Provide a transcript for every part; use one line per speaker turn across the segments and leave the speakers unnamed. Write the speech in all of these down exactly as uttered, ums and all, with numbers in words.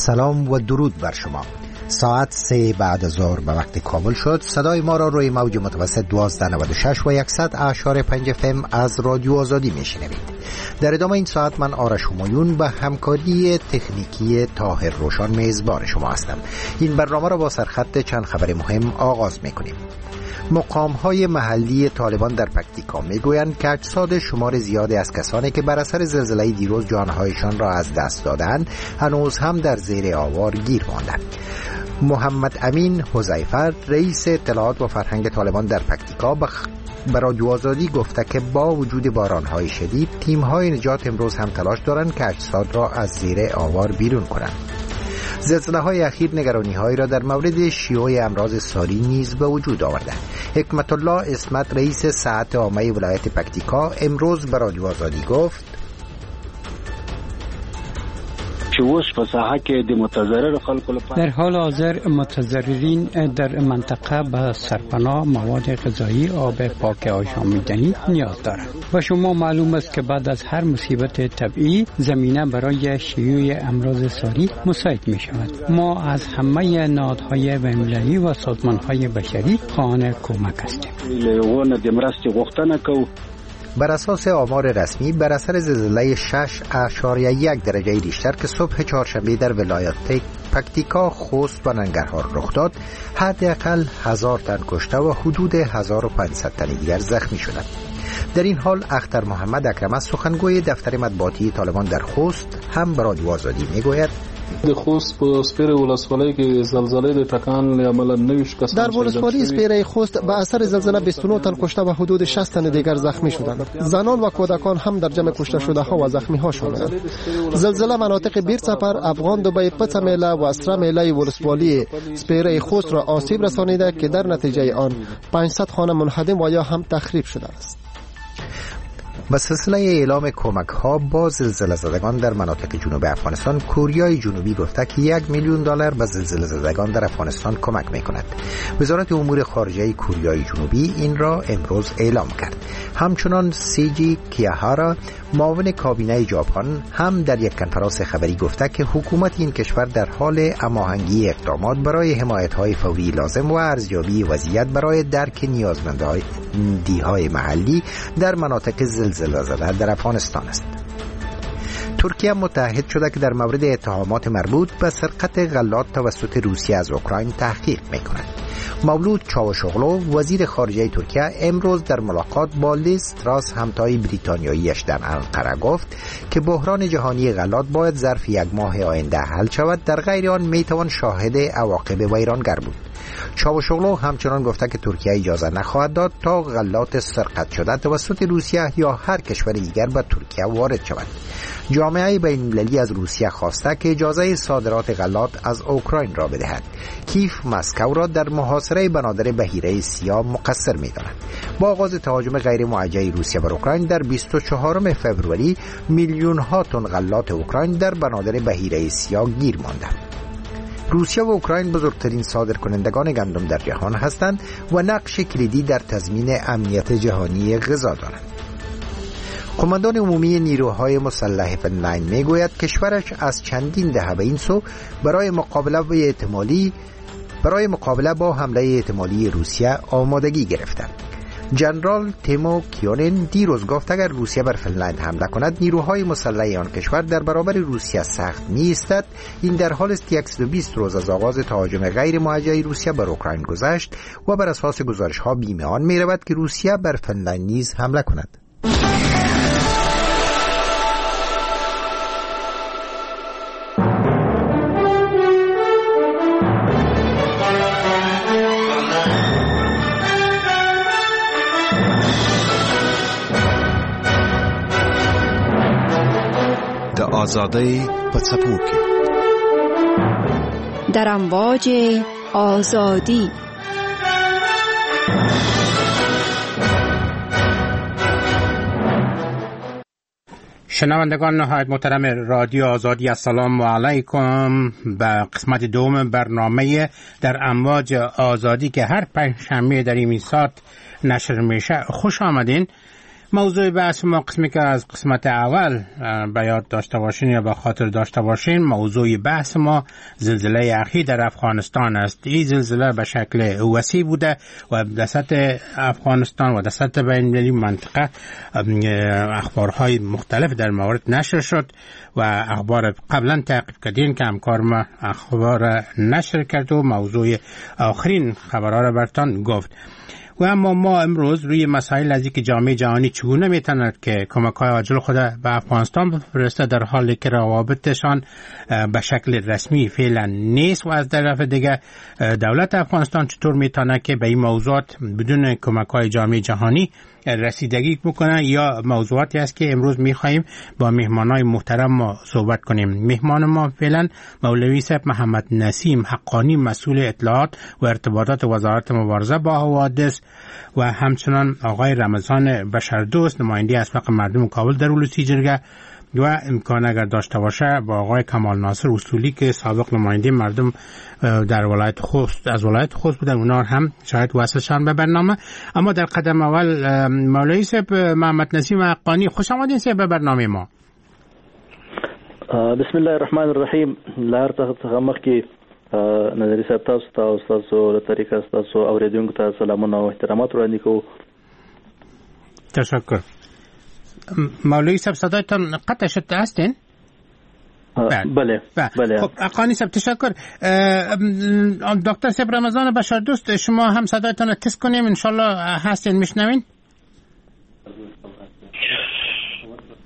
سلام و درود بر شما. ساعت سه بعد از ظهر به وقت کابل شد. صدای ما را روی موج متوسط دوازده نود و شش و یکصد اعشاریه پنج اف ام از رادیو آزادی میشنوید. در ادامه این ساعت من آرش همایون به همکاری تکنیکی طاهر روشان میزبان شما هستم. این برنامه را با سرخط چند خبر مهم آغاز میکنیم. مقام های محلی طالبان در پکتیکا میگویند که اجساد شمار زیادی از کسانی که بر اثر زلزله دیروز جانهایشان را از دست دادند هنوز هم در زیر آوار گیر ماندند. محمد امین حذیفه رئیس اطلاعات و فرهنگ طالبان در پکتیکا به رادیو آزادی گفته که با وجود باران‌های شدید تیم‌های نجات امروز هم تلاش دارند که اجساد را از زیر آوار بیرون کنند. زلزله‌های اخیر نگرانی‌هایی را در مورد شیوع امراض ساری نیز به وجود آورده. حکمت الله عصمت رئیس صحت عامه ولایت پکتیکا امروز به رادیو آزادی گفت:
در حال حاضر متضررین در منطقه به سرپناه، مواد غذایی، آب پاک آشامیدنی نیاز دارند. و شما معلوم است که بعد از هر مصیبت طبیعی زمینه برای شیوع امراض ساری مساعد می شود. ما از همه نهادهای بین‌المللی و سازمانهای بشری خواهان کمک هستیم.
بر اساس آمار رسمی بر اثر زلزله شش اعشاریه یک درجه ریشتر که صبح چهارشنبه در ولایت پکتیکا، خوست و ننگرهار رخ داد، حداقل هزار تن کشته و حدود هزار و پانصد تن دیگر زخمی شدند. در این حال اختر محمد اکرم سخنگوی دفتر مطبوعاتی طالبان در خوست هم به رادیو آزادی میگوید:
د خوست په سپیره ولسوالۍ کې زلزلې د ټکان له امله نوي کسان
در ولسوالی سپیره خوست به اثر زلزله بیست و نه تن کشته و حدود شصت تن دیگر زخمی شدند. زنان و کودکان هم در جمع کشته شده ها و زخمی ها شدند. زلزله مناطق بیر سفر، افغان دبی، پڅه میله و سره میله ولسوالی سپیره خوست را آسیب رسانیده که در نتیجه آن پانصد خانه منهدم و یا هم تخریب شده است.
به سلسله اعلام کمک ها با زلزله زدگان در مناطق جنوب افغانستان، کوریای جنوبی گفته که یک میلیون دلار به زلزله زدگان در افغانستان کمک می کند. وزارت امور خارجه کوریای جنوبی این را امروز اعلام کرد. همچنان سیجی کیاهارا معاون کابینه ژاپن هم در یک کنفرانس خبری گفته که حکومت این کشور در حال هماهنگی اقدامات برای حمایت های فوری لازم و ارزیابی وضعیت برای درک نیازمندی‌های محلی در مناطق زلزله زده در افغانستان است. ترکیه متعهد شده که در مورد اتهامات مربوط به سرقت غلات توسط روسیه از اوکراین تحقیق می‌کند. مولود چاوشوغلو وزیر خارجه ترکیه امروز در ملاقات با لیز تراس همتای بریتانیاییش در انقره گفت که بحران جهانی غلات باید ظرف یک ماه آینده حل شود، در غیر آن میتوان شاهد عواقب ویرانگر بود. چاوشوغلو همچنان گفته که ترکیه اجازه نخواهد داد تا غلات سرقت شده توسط روسیه یا هر کشور دیگر به ترکیه وارد شود. جامعه بین‌المللی از روسیه خواسته که اجازه صادرات غلات از اوکراین را بدهد. کیف مسکو را در محاصره بنادر بحیره سیاه مقصر می‌داند. با آغاز تهاجم غیر موجه روسیه بر اوکراین در بیست و چهارم فوریه میلیون ها تن غلات اوکراین در بنادر بحیره سیاه گیر ماندند. روسیه و اوکراین بزرگترین صادرکنندگان گندم در جهان هستند و نقش کلیدی در تضمین امنیت جهانی غذا دارند. قماندان عمومی نیروهای مسلح فنلند میگوید کشورش از چندین دهه به این سو برای مقابله با احتمالی برای مقابله با حمله احتمالی روسیه آمادگی گرفته. جنرال تیمو کیونن دیروز گفت اگر روسیه بر فنلند حمله کند نیروهای مسلح آن کشور در برابر روسیه سخت می‌ایستد. این در حال است که صد و بیست روز از آغاز تهاجم غیر موجه روسیه بر اوکراین گذشت و بر اساس گزارش‌ها بیم آن می‌رود که روسیه بر فنلند نیز حمله کند.
آزادۍ په څپو کې
در امواج آزادی.
شنوندگان نهایت محترم رادیو آزادی، السلام علیکم. به قسمت دوم برنامه در امواج آزادی که هر پنجشنبه در این ساعت نشر میشه خوش آمدین. موضوع بحث ما قسمی که از قسمت اول به یاد داشته باشین یا به خاطر داشته باشین، موضوع بحث ما زلزله اخیر در افغانستان است. این زلزله به شکل وسیع بوده و در سطح افغانستان و در سطح بین‌المللی منطقه اخبارهای مختلف در مورد نشر شد و اخبار قبلا تعقیب کردین که همکار ما اخبار نشر کرد و موضوع آخرین خبرها را برتان گفت. و اما ما امروز روی مسائل از اینکه جامعه جهانی چگونه میتواند که کمک‌های عاجل خود به افغانستان بفرسته در حالی که روابطشان به شکل رسمی فعلا نیست و از طرف دیگه دولت افغانستان چطور میتونه که به این موضوعات بدون کمک‌های جامعه جهانی رسیدگی بکنه، یا موضوعاتی است که امروز میخواهیم با مهمانای محترم ما صحبت کنیم. مهمان ما فعلا مولوی صاحب محمد نسیم حقانی، مسئول اطلاعات و ارتباطات وزارت مبارزه با حوادث، و همچنان آقای رمضان بشردوست، نماینده اسبق مردم کابل در ولسی جرگه، و امکان اگر داشته باشه با آقای کمال ناصر اصولی که سابق نماینده مردم در ولایت خوست از ولایت خوست بودن، اونا هم شاید وصلشان به برنامه. اما در قدم اول مولوی صاحب محمد نسیم حقانی، خوش آمدین صاحب به برنامه ما.
بسم الله الرحمن الرحیم. له هر څه څخه مخکې نظري صاحب تاسو ته او ستاسو له طریقه ستاسو اورېدونکو ته سلامونه او احترامات وړاندې کوو.
تشکر. مولوی صاحب صدایتان قطع شد، هستین؟
بله بله.
خب حقانی صاحب تشکر. دکتر صاحب رمضان بشردوست، شما هم صدایتان تست کنیم انشالله. هستین میشنوین؟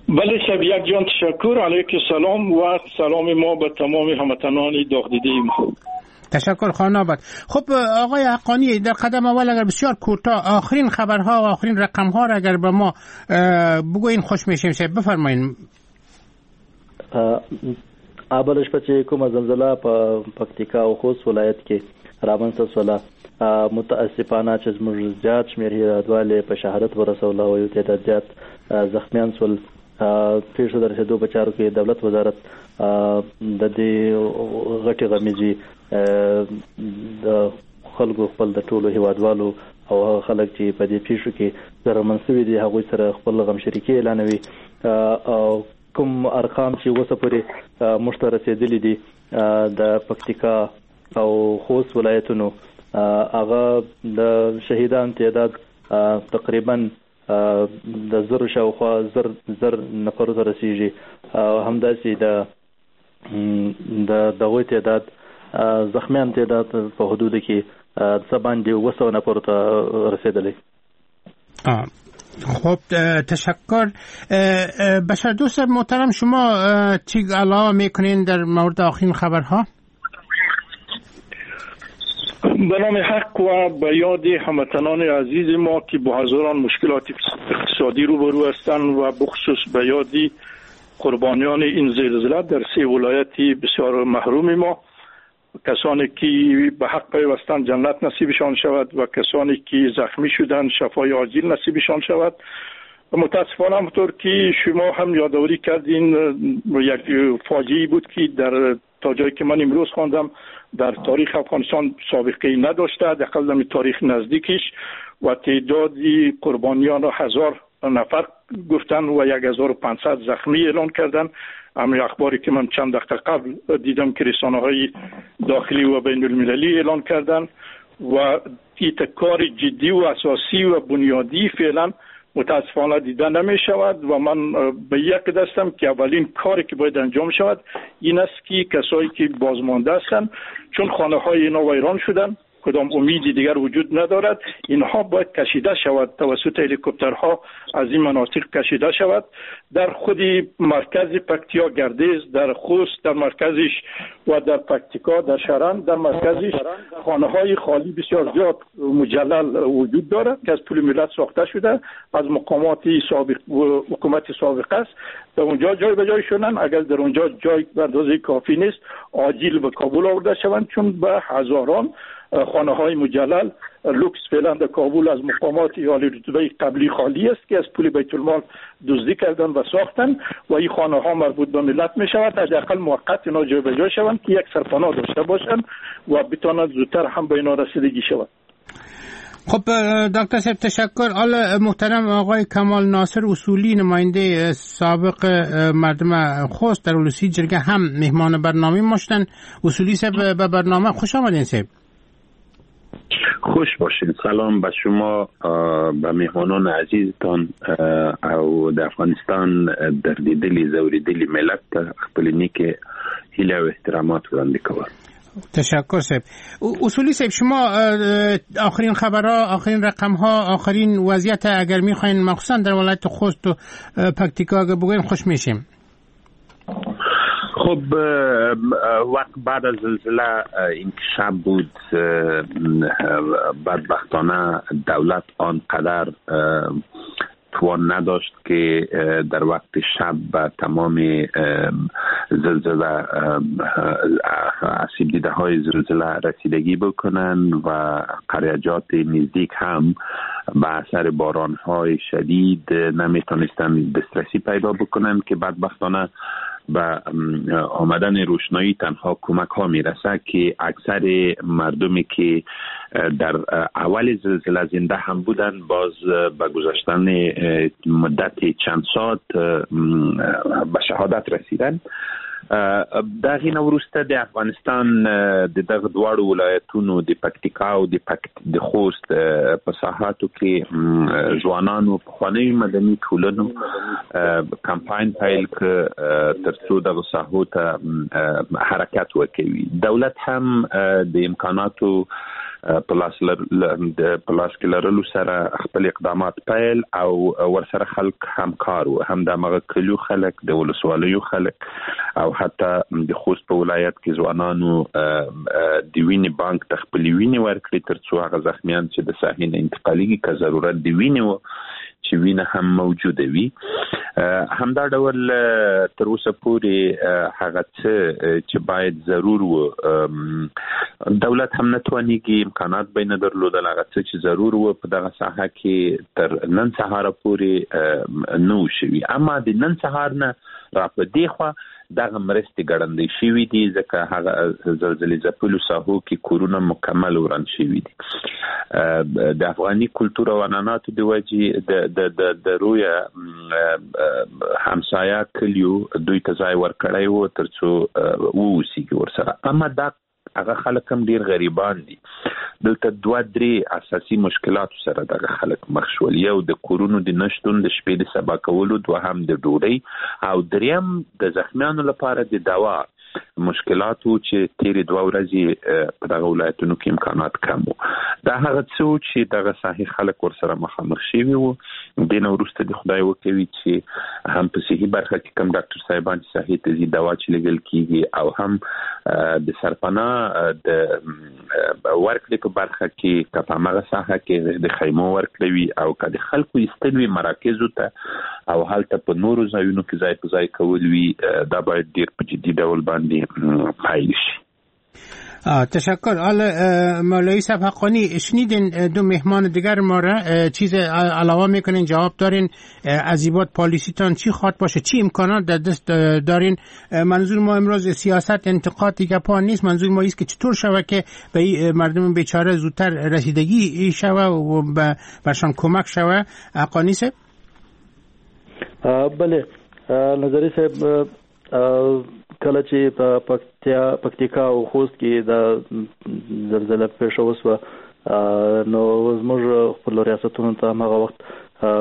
بله صاحب، یک جان تشکر. علیک سلام و سلام ما به تمام هموطنان داغ دیده ما.
تشکر خانم آباد. خب آقای حقانی، در قدم اول اگر بسیار کوتاه آخرین خبرها و آخرین رقمها را اگر به ما بگوین خوش میشیم. شاید بفرمایین.
اول شپه چې کومه زلزله په پکتیکا او خوست ولایت کې رامنځته شوله، متاسفانه چې زموږ زیات شمېر هېوادوال یې په شهادت ورسوله او یو تعداد زیات زخمیان شول. پېښو د رسېدو په چارو کې دولت وزارت د دې غټې غمیزې د خلکو خپل د ټولو هېوادوالو او هغه خلک چې په دې پېښو کې ضررمن شوي دي هغوی سره خپل غمشریکي اعلانوي. او کوم ارقام چې اوسه پورې موږ ته رسېدلي دي د پکتیکا او خوست ولایتونو، هغه د شهیدان تعداد تقریبا د زرو شاوخوا زر زر نفرو ته رسیږي، او همداسې د د دغو تعداد زخمیان تعداد په حدودو کې څه باندې اووه سوه نفرو ته رسېدلی.
خب تشکر. بشر دوست محترم، شما چی علاوه میکنین در مورد آخرین خبرها؟
به نام حق و به یاد هموطنان عزیز ما که با هزاران مشکلات اقتصادی روبرو هستند و بخصوص به یاد قربانیان این زلزله در سه ولایت بسیار محروم ما، کسانی که به حق پیوستند جنت نصیبشان شود و کسانی که زخمی شدند شفای عاجل نصیبشان شود. متاسفانه همطور که شما هم یادآوری کردین، یک فاجعه بود که در تا جایی که من امروز خواندم در تاریخ افغانستان سابقه نداشته، حداقل در تاریخ نزدیکش، و تعداد قربانیان را هزار نفر گفتن و یک هزار و پانصد زخمی اعلان کردن. اما اخباری که من چند دقیقه قبل دیدم که رسانه‌های داخلی و بین المللی اعلان کردن و کار جدی و اساسی و بنیادی فعلا متاسفانه دیده نمی شود و من به یک دستم که اولین کاری که باید انجام شود این است که کسایی که بازمانده هستند، چون خانه های اینا ویران شدن، کدام امیدی دیگر وجود ندارد، اینها باید کشیده شود توسط هلیکوپترها از این مناطق کشیده شود. در خود مرکز پکتیا گردیز، در خوست در مرکزش و در پکتیکا در شرن در مرکزش خانه های خالی بسیار زیاد مجلل وجود دارد که از پول ملت ساخته شده، از مقامات سابق و حکومت سابق است. در اونجا جای به جای شدن، اگر در اونجا جای به اندازه کافی نیست عاجل به کابل آورده شوند، چون به هزاران خانه های مجلل لوکس فعلا در کابل از مقامات عالی رتبه قبلی خالی است که از پول بیت المال دزدی کردن و ساختن و این خانه ها مربوط به ملت می شود. حداقل موقت اینا جای به جای شوند که یک سرپناه داشته باشند و بتوانند زودتر هم به اینا رسیدگی شود.
خب دکتر صاحب تشکر. حالا محترم آقای کمال ناصر اصولی، نماینده سابق مردم خوست در ولسی جرگه، هم مهمان برنامه ما شدن. اصولی صاحب به برنامه خوش آمدین صاحب.
خوش باشین. سلام به شما، به مهمانان عزیزتان او د افغانستان دردیدلی زوریدلی ملت ته خپل نیکې هیله او احترامات وړاندې کوم.
تشکر صاحب. اصولی صاحب، شما آخرین خبرها، آخرین رقمها، آخرین وضعیت اگر میخواین مخصوصا در ولایت خوست و پکتیکا اگر بگوین خوش میشیم.
خب وقت بعد از زلزله این شب بود، بدبختانه دولت آنقدر توان نداشت که در وقت شب به تمام زلزله آسیب دیده های زلزله رسیدگی بکنن و قریجات نزدیک هم به اثر باران های شدید نمیتونستن دسترسی پیدا بکنن که بدبختانه به آمدن روشنایی تنها کمک ها میرسه که اکثر مردمی که در اول زلزله زنده هم بودن باز به گذشتن مدت چند ساعت به شهادت رسیدن. دغه نه وروسته د افغانستان د دغه دواړو ولایتونو د پکتیکا او د پکت د خوست په ساحاتو کې ځوانانو پخوانیو مدني ټولنو کمپاین پیل کړ ترڅو دغه ساحو ته حرکت وکوي. دولت هم د امکاناتو په لاس په لاس کې لرلو سره خپل اقدامات پیل او ورسره خلک همکار وو، هم د هغه کلیو خلک، د ولسوالیو خلک او حتی د خوست په ولایت کې ځوانانو د وینې بانک ته خپلې وینې ورکړې ترڅو هغه زخمیان چې د ساحې نه انتقالیږي که ضرورت د وینې و چې وینه هم موجوده وي. همدا ډول تر اوسه پورې هغه څه چې باید ضرور و دولت هم نه توانیږي، امکانات به نه درلودل، هغه څه چې ضرور و په دغه ساحه کې تر نن سهاره پورې نه وو شوي. اما د نن سهار نه را په دې خوا دغه مرستې ګړندۍ شوي دي، ځکه هغه زلزلې ځپلو ساحو کې کورونه مکمل وران شوي دي. د افغاني کلتور او عنعناتو د وجې د د د د رویه همسایه کلیو دوی ته ځای ورکړی و ترڅو واوسیږي ورسره. اما دا هغه خلک هم ډیر غریبان دي. دلته دوه درې اساسي مشکلاتو سره دغه خلک مخ شول. یو د کورونو د نشتون، د شپې د سبا کولو، دوهم د ډوډۍ، او دریم د زخمیانو لپاره د دوا مشکلاتو چې تیرې دوه ورځې په دغه ولایتونو کې امکانات کم وو. دا هغه څه وو چې دغه ساحې خلک ورسره مخامخ شوي وو. دې نه وروسته د خدای وکوي چې هم په صحي برخه کې کوم ډاکټر صاحبان چې ساحې ته ځي دوا چې لېږل کېږي، او هم د سرپناه د ورکړې په برخه کې که په هماغه ساحه کې د خیمو ورکړې وي او که د خلکو ایستل وي مراکزو ته او هلته په نورو ځایونو کې ځای په ځای کول وي، دا باید ډېر په جدي ډول باندې پیل شي.
تشکر. حالا مولوی صاحب حقانی، شنیدین دو مهمان دیگر ما را، چیز علاوه میکنین، جواب دارین، از این بعد پالیسی تان چی خواد باشه، چی امکانات در دست دارین؟ منظور ما امروز سیاست انتقاد دیگه پا نیست، منظور ما ایست که چطور شوه که به مردم بیچاره زودتر رسیدگی شوه و برشان کمک شوه. حقانی صاحب.
بله نظری صاحب، کله چې په پکتیا پکتیکا او خوست کې د زلزله پېښه وشوه نو زموږ خپل ریاستونو ته هماغه وخت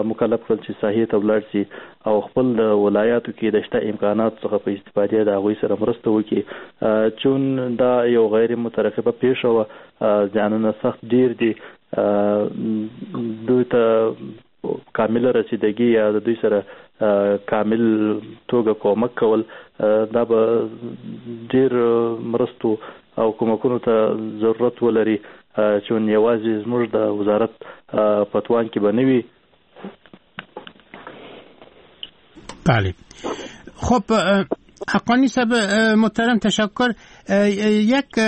مکلف کړل چې ساحې ته ولاړ شي او خپل د ولایاتو کې د شته امکاناتو څخه په استفادې د هغوی سره مرسته وکړي. چون دا یو غیر مترقبه پېښه وه، زیانونه سخت ډېر دي، دوی ته کامله رسیدګي یا د دوی سره کامل توګه کومک کول دا به ډېر مرستو او کومکونو ته ضرورت ولري، چون یوازې زموږ د وزارت په توان کې به نه وي.
بله. خب حقانی صاحب محترم تشکر. یک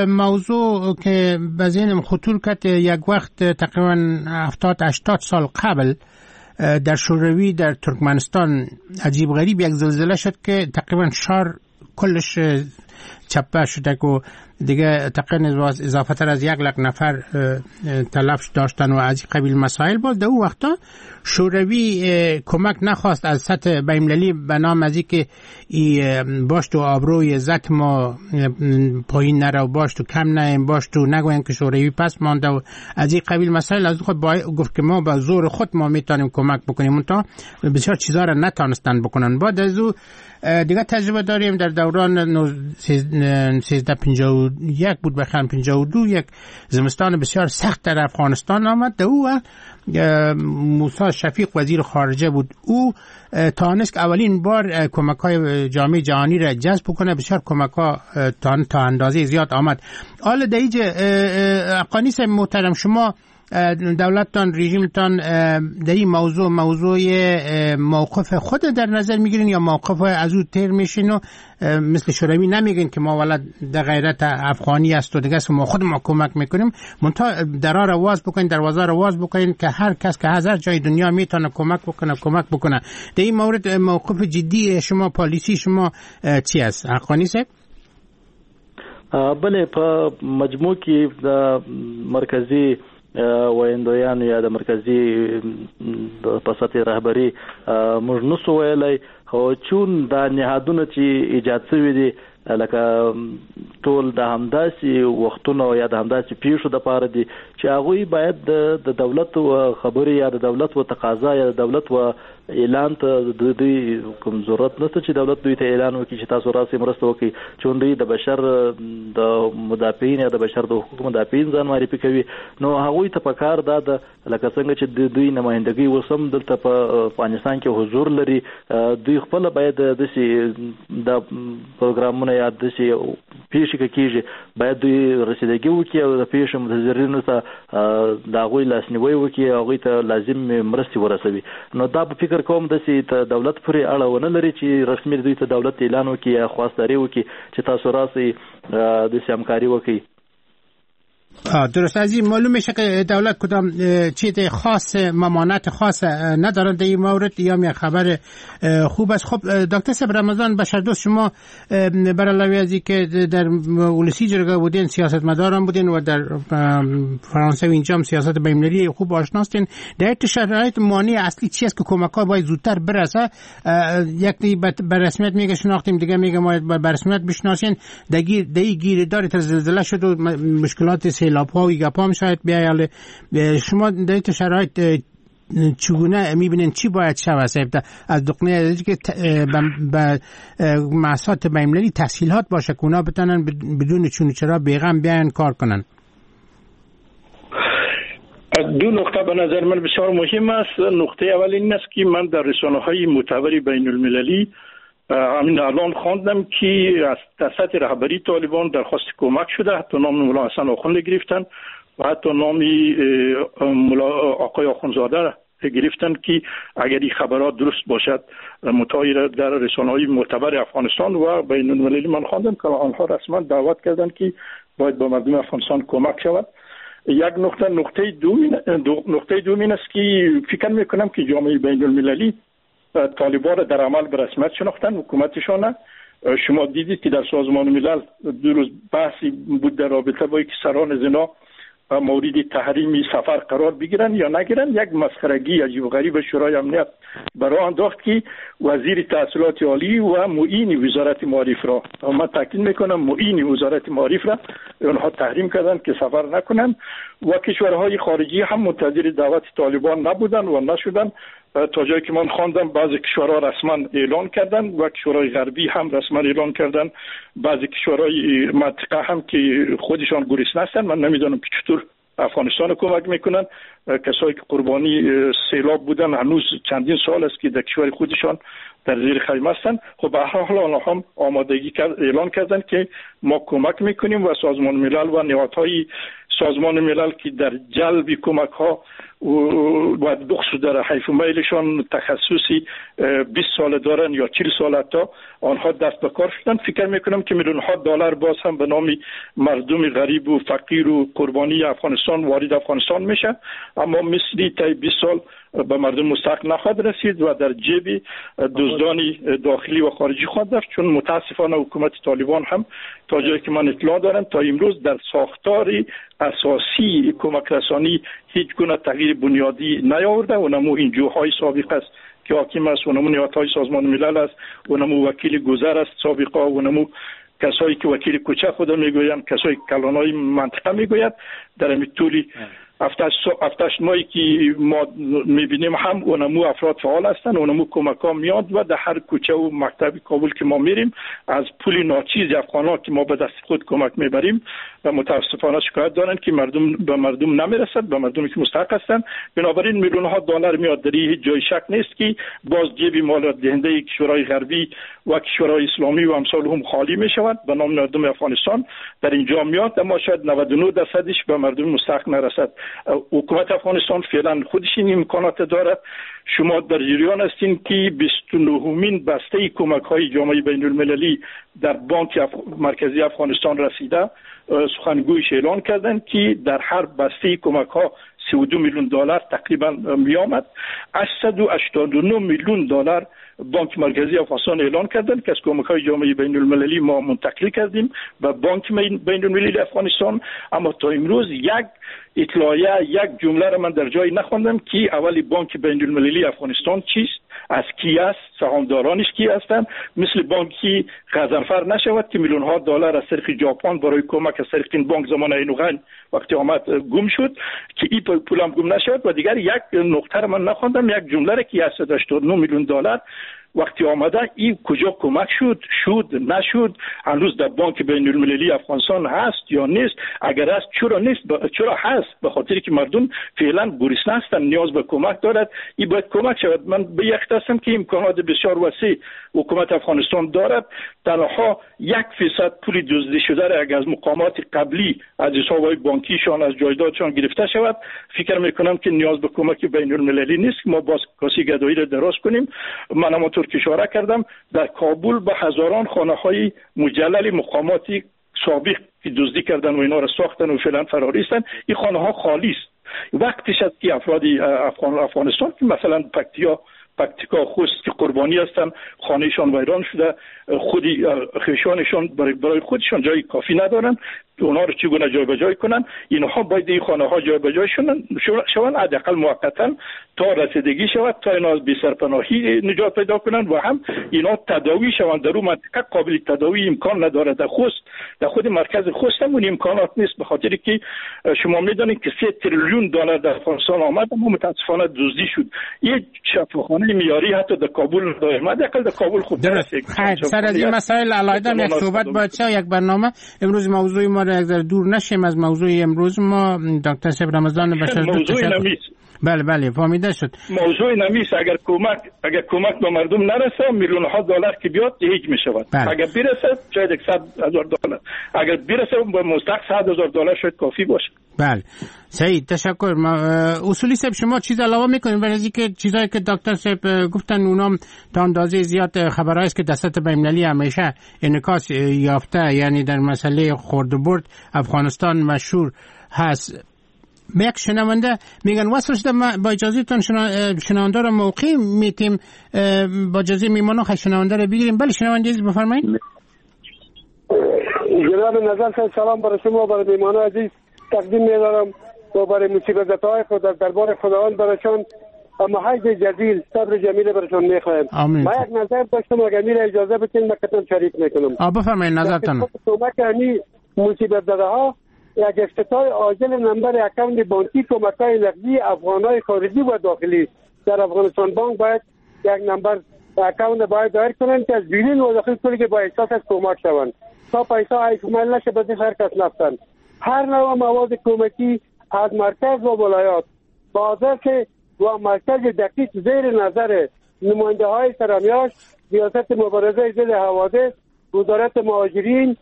موضوع که به ذهنم خطور کرد، یک وقت تقریبا هفتاد هشتاد سال قبل در شوروی در ترکمنستان عجیب غریب یک زلزله شد که تقریبا شهر کلش چپه شده که دیگه تقریبا اضافه تر از یک لک نفر تلف داشتن و از قبیل مسائل. باز در اون وقتا شوروی کمک نخواست از سطح بین‌المللی به نام از اینکه باش تو آبروی عزت ما پایین نره و باش تو کم نیم، باش تو نگوین که شوروی پس مانده و از این قبیل مسائل. از خود با گفت که ما با زور خود ما میتونیم کمک بکنیم، تا بسیار چیزا را نتانستن بکنن. بعد از او دیگه تجربه داریم در دوران سیزده پنجاه و یک بود بخیر پنجاه و دو، یک زمستان بسیار سخت در افغانستان آمد. در او موسی شفیق وزیر خارجه بود، او تانست که اولین بار کمک های جامعه جهانی را جذب کنه، بسیار کمک ها تا اندازه زیاد آمد. حالا در اینجا حقانی صاحب محترم، شما دولتتان رژیمتان در این موضوع موضوع موقف خود در نظر میگیرین یا موقف از او تیر میشین و مثل شوروی نمیگین که ما ولد در غیرت افغانی است و دیگه است ما خود ما کمک میکنیم، منتها درا را واز بکنین، دروازه را واز بکنین که هر کس که هر جای دنیا میتونه کمک بکنه کمک بکنه. در این مورد موقف جدی شما، پالیسی شما چی است حقانی صاحب؟
بله، په مجموع کې د مرکزی ویندویان یا د مرکزی په سطح رهبری موږ نسو ویلی، خو چون دا نهادونه چې ایجاد شوي دي لکه ټول د همداسې وختونو یا د همداسې پیښو دپاره دي چې هغوی باید د دولت و خبرې یا د دولت و تقاضا یا د دولت و اعلان ته د دوی کوم ضرورت نشته چې دولت دوی ته اعلان وکړي چې تاسو راسئ مرسته وکړئ، چون دوی د بشر د مدافعین یا د بشر د حقوقو مدافعین ځان معرفي کوي. نو هغوی ته پکار دا ده لکه څنګه چې د دوی نمایندګي اوس هم دلته په افغانستان کې حضور لري، دوی خپله باید داسې د پروګرامونه یا داسې پیښې که کېږي باید دوی رسیدګي وکړي او د پیښې متضررینو ته د هغوی لاسنیوی وکړي، هغوی ته لازم مرستې ورسوي. نو دا په فکر کوم داسې ته دولت پورې اړه ونه لري چې رسمي دوی ته دولت اعلان وکړي یا خواستداري وکړي چې تاسو راسئ داسې همکاري وکړئ.
درست، از این معلوم میشه که دولت کدام چیز خاص ممانعت خاص ندارند در این مورد، یا می خبر خوب است. خب دکتر صاحب رمضان بشردوست، شما بر علاوه از اینکه در ولسی جرگه بودین، سیاستمداران بودین و در فرانسه و اینجا هم سیاست بین‌المللی خوب آشناستین، در این شرایط مانع اصلی چی است که کمک‌ها باید زودتر برسه؟ یک به رسمیت میگه شناختیم، دیگه میگه ما به رسمیت بشناسین، دیگه دیگه گیردار تر زلزله شد و مشکلات سیلاب‌ها و گپام شاید بیایل. شما در این شرایط چگونه میبینین چی باید شود از دقنه که به مؤسسات بین‌المللی تسهیلات باشه که اونا بتونن بدون چون چرا بیغم بیاین کار کنن؟
دو نقطه به نظر من بسیار مهم است. نقطه اول این است که من در رسانه‌های معتبر بین‌المللی همین الان خواندم که از سطح رهبری طالبان درخواست کمک شده، حتی نام ملا حسن آخوند گرفتن و حتی نام ملا آقای آخوندزاده گرفتن که اگر این خبرات درست باشد متغیر در رسانه‌های معتبر افغانستان و بین المللی من خواندم که آنها رسما دعوت کردند که باید با مردم افغانستان کمک شود. یک نقطه. نقطه دوم نقطه دوم این است که فکر میکنم که جامعه بین المللی طالبان را در عمل به رسمیت شناختن، حکومتشان. شما دیدید که در سازمان ملل دو روز بحثی بود در رابطه با اینکه سران زنا مورد تحریم سفر قرار بگیرن یا نگیرن. یک مسخرگی عجیب و غریب شورای امنیت برای انداخت که وزیر تحصیلات عالی و معین وزارت معارف را، من تاکید میکنم معین وزارت معارف را اونها تحریم کردن که سفر نکنن و کشورهای خارجی هم منتظر دعوت طالبان نبودن و نشدن. تا جایی که من خواندم بعضی کشورها رسما اعلان کردن و کشورهای غربی هم رسما اعلان کردن، بعضی کشورهای منطقه هم که خودشان گرسنه هستند، من نمیدانم که چطور افغانستان کمک میکنن. کسایی که قربانی سیلاب بودن هنوز چندین سال است که در کشور خودشان در زیر خیمه هستند. خب به هر حال آنها هم آمادگی کرد، اعلان کردن که ما کمک میکنیم و سازمان ملل و نهادهای سازمان ملل که در جلب کمک ها و بخصوص در حیف و میلشان تخصصی بیست سال دارن یا چهل سال حتی، آنها دست به کار شدن. فکر میکنم که میلیون ها دلار باز هم به نام مردم غریب و فقیر و قربانی افغانستان وارد افغانستان میشه، اما مثلی تا بیست سال به مردم مستحق نخواهد رسید و در جیب دزدان داخلی و خارجی خواهد رفت. چون متاسفانه حکومت طالبان هم تا جایی که من اطلاع دارم تا امروز در ساختار اساسی کمک رسانی هیچ گونه تغییر بنیادی نیاورده و نمو این جوهای سابق است که حاکم است و نمو نهادهای سازمان ملل است و نمو وکیل گذر است سابقه و نمو کسایی که وکیل کوچه خود میگویند، کسایی که کلانای منطقه میگوید. در این طولی هفتش ماهی که ما میبینیم هم اونمو افراد فعال هستند، اونمو کمک ها میاد و در هر کوچه و مکتب کابل که ما میریم از پول ناچیز افغان ها که ما به دست خود کمک میبریم و متاسفانه شکایت دارند که مردم به مردم نمیرسد، به مردمی که مستحق هستند. بنابراین میلیون ها دلار میاد، در هیچ جای شک نیست که باز جیب مال دهنده کشورهای غربی و کشورهای اسلامی و امثال هم خالی میشود به نام مردم افغانستان در اینجا میاد، اما شاید نود و نه درصدش به مردم مستحق نرسد. حکومت افغانستان فعلا خودش این امکانات دارد. شما در جریان هستین که بیست و نهمین بسته کمک های جامعه بین المللی در بانک اف... مرکزی افغانستان رسیده. سخنگویش اعلان کردند که در هر بسته کمک ها سی و دو میلیون دلار تقریبا می آمد. هشتصد و هشتاد و نه میلیون دلار بانک مرکزی افغانستان اعلان کردند که از کمک های جامعه بین المللی ما منتقل کردیم به بانک بین المللی افغانستان. اما تا امروز یک اطلاعیه، یک جمله را من در جایی نخواندم که اولی بانک بین المللی افغانستان چیست، از کی است، سهامدارانش کی هستند. مثل بانکی غضنفر نشود که میلیون ها دلار از طریق ژاپن برای کمک از طریق این بانک زمان اینوغن وقتی آمد گم شد که این پول هم گم نشود. و دیگر یک نقطه را من نخواندم، یک جمله را که هشتصد و هشتاد و نه میلیون دلار وقتی آمده این کجا کمک شد، شد نشد، هنوز در بانک بین المللی افغانستان هست یا نیست؟ اگر هست چرا نیست؟ چرا هست؟ به خاطر که مردم فعلا گرسنه هستند، نیاز به کمک دارد، این باید کمک شود. من به یک هستم که امکانات بسیار وسیع حکومت افغانستان دارد، تنها یک فیصد پول دزدی شده را اگر از مقامات قبلی از حسابهای بانکیشان از جایدادشان گرفته شود، فکر میکنم که نیاز به کمک بین المللی نیست. ما باز کاسی گدایی را دراز کنیم. من همانطور که اشاره کردم در کابل به هزاران خانه های مجلل مقاماتی سابق که دزدی کردن و اینا را ساختن و فعلا فراری هستند، این خانه ها خالی است. وقتش است که افراد افغان افغانستان که مثلا پکتیا پکتیکا خوست که قربانی هستند، خانهشان ویران شده، خودی خویشانشان برای برای خودشان جای کافی ندارن، اونها رو چگونه جای به جای کنن؟ اینها باید این خانه ها جای به جای شدن شوند، حداقل موقتا تا رسیدگی شود، تا اینا از بی سرپناهی نجات پیدا کنن و هم اینا تداوی شوند. در اون منطقه قابل تداوی امکان نداره. در خوست، در خود مرکز خوست هم اون امکانات نیست، به خاطر که شما میدونید که سه تریلیون دلار در افغانستان آمد اما متاسفانه دزدی شد. یک شفاخانه معیاری حتی در کابل نداره، حداقل در کابل خوب
درست. سر از این مسائل علاوه یک صحبت باید یک برنامه امروز موضوع ما را یک دور نشیم از موضوع امروز ما. دکتر صاحب رمضان بشر
موضوع نمیست.
بله بله فهمیده شد.
موضوع نمیست. اگر کمک اگر کمک به مردم نرسه میلیون ها دلار که بیاد هیچ میشود. بله. اگر برسه شاید صد هزار دلار، اگر برسه به مستحق صد هزار دلار شاید کافی باشه.
بله سعید تشکر. ما اصولی صاحب شما چیز علاوه میکنیم برای اینکه چیزایی که دکتر صاحب گفتن اونام تا اندازه زیاد خبرهایی است که در سطح بین‌المللی همیشه انعکاس یافته، یعنی در مسئله خرد و برد افغانستان مشهور هست. به یک شنونده میگن وصل شده، ما با اجازه تون شنونده رو موقع میتیم، با اجازه میمانو خیلی شنونده رو بگیریم. بله شنونده عزیز بفرمایید.
جناب نظر صاحب سلام برای شما و برای میمانو عزیز تقدیم می‌دارم و برای مصیبت‌های خود در دربار خداوند برایشان اما حج جزیل صبر جمیل برایشان می‌خوایم. ما یک نظر داشتم اگر میره اجازه بدین من کتم شریک میکنم.
آ بفرمایید نظرتون.
کمک همی مصیبت زده‌ها یک افتتاح عاجل نمبر account بانکی کمک‌های نقدی افغان‌های خارجی و داخلی در افغانستان بانک باید یک نمبر account باید دایر کنند که از بیرون و داخل پولی که با احساس از کمک شوند تا پیسه ایکمل نشه به هر کس نفتند. هر نوع مواد کمکی از مرکز و ولایات با آدرس و مرکز دقیق زیر نظر نماینده های سرامیاش، ریاست مبارزه ضد حوادث، وزارت مهاجرین،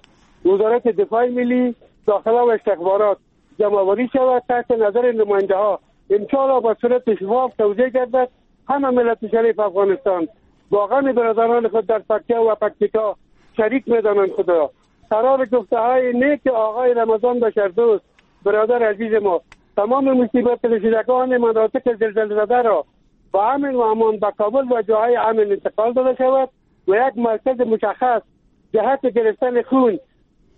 وزارت دفاع ملی، داخله و استخبارات جمع‌آوری شود تحت نظر نماینده ها. انشاءالله با صورت شفاف توزیع گردد. همه ملت شریف افغانستان با غم برادران خود در پکتیا و پکتیکا شریک می‌دانند خدا. قرار گفته های نیک آقای رمضان بشردوست برادر عزیز ما تمام مصیبت رسیدگان مناطق زلزله زده را با امن و امان به کابل و جاهای امن انتقال داده شود و یک مرکز مشخص جهت گرفتن خون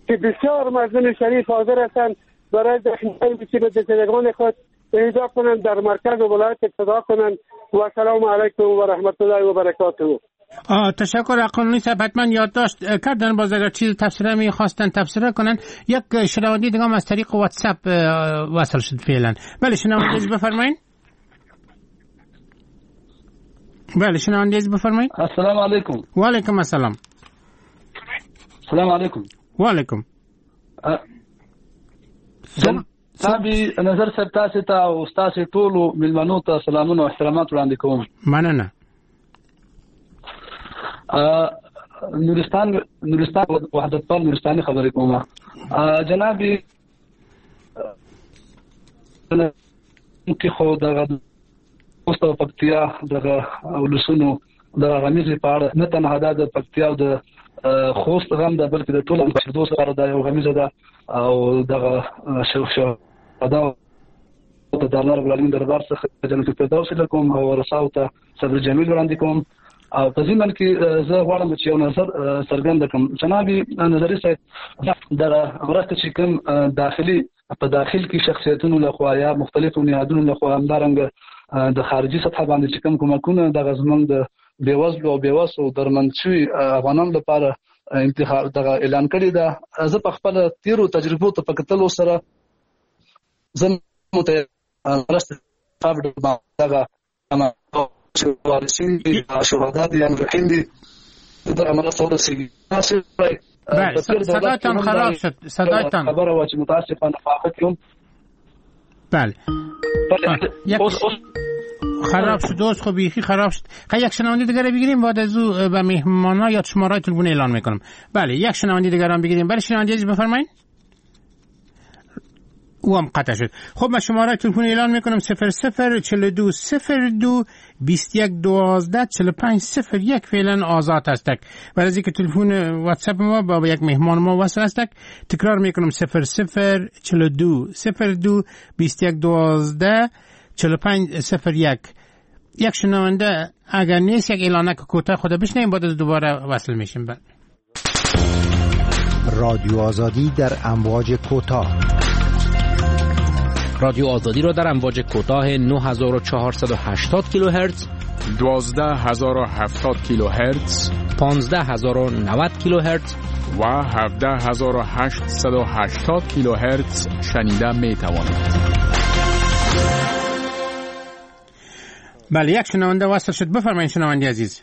که بسیار مردم شریف حاضر هستند برای زخمی‌های مصیبت زدگان خود اهدا کنند، در مرکز و ولایت اقتدا کنند. و سلام علیکم و رحمت الله و برکاته.
تشکر قانونی صاحب، حتما یادداشت کردن. باز اگر چیز تفسیره میخواستن تفسیره کنن. یک شنونده دیگه هم از طریق واتساپ وصل شد فعلا. بله شنونده بفرمایید. بله شنونده بفرمایید.
السلام علیکم.
و علیکم السلام.
السلام علیکم.
و علیکم.
صاحب نظر صاحب تاسو ته او تاسو ټولو ملمنو ته سلامونه او احترامات وړاندې کوم.
مننه.
نورستان نورستان وحدت پال نورستاني خبرې کوم. جناب کې خو دغه اوس د پکتیا دغه ولسونو دغه غمیزې په اړه نه تنها دا د پکتیا او د خوست غم ده، بلکې د ټولو بشردوست لپاره دا یو غمیزه ده او دغه شهدا ته د الله رب العالمین دربار څخه جنت الفردوس لکم او ورثاو ته صبر جمیل وړاندې کوم. او په ضمن کې زه غواړم چې یو نظر څرګند کړم. جناب نظري صاحب، دغه مرسته چې کوم داخلي په داخل کې شخصیتونو لخوا یا مختلفو نهادونو لخوا همدارنګه د خارجي سطح باندې چې کوم کومکونه دغه زمونږ د بېوزلو او بېوسو درمند شوي افغانانو لپاره انتخاب دغه اعلان کړې ده، زه په خپل تیرو تجربو ته په کتلو سره زه مرسته دغه وارثین دي، شهدا دي، مجروحین دي، دغه مرسته ورسېږي.
بله صدایتان خراب شد. صدایتان
خبره وه چې متاسفانه په هغه کې هم
بله خراب شد. دوست خب بیخی خراب شد. خیلی یک شنونده دیگه بگیریم، بعد از او به مهمانا یا شماره تلفن اعلان میکنم. بله یک شنونده دیگه هم بگیریم. بله شنونده عزیز بفرمایید. او هم قطع شد. خب من شماره تلفن اعلان میکنم: صفر صفر چهل و دو صفر دو بیست و یک دوازده چهل و پنج صفر یک فعلا آزاد هستک. برای از اینکه تلفن واتساپ ما با یک مهمان ما وصل هستک، تکرار میکنم: صفر صفر چهل و دو صفر دو بیست و یک دوازده چهل و پنج صفر یک. یک شنونده اگر نیست یک اعلانک کوتاه خود بشنویم، بعد از دوباره وصل میشیم. بعد
رادیو آزادی در امواج کوتاه.
رادیو آزادی را در امواج کوتاه نه هزار و چهارصد و هشتاد کیلوهرتز،
دوازده هزار و هفتاد کیلوهرتز،
پانزده هزار و نود کیلوهرتز
و هفده هزار و هشتصد و هشتاد کیلوهرتز شنیده می توانید.
بله یک شنونده وصل شد. بفرمایید شنونده عزیز.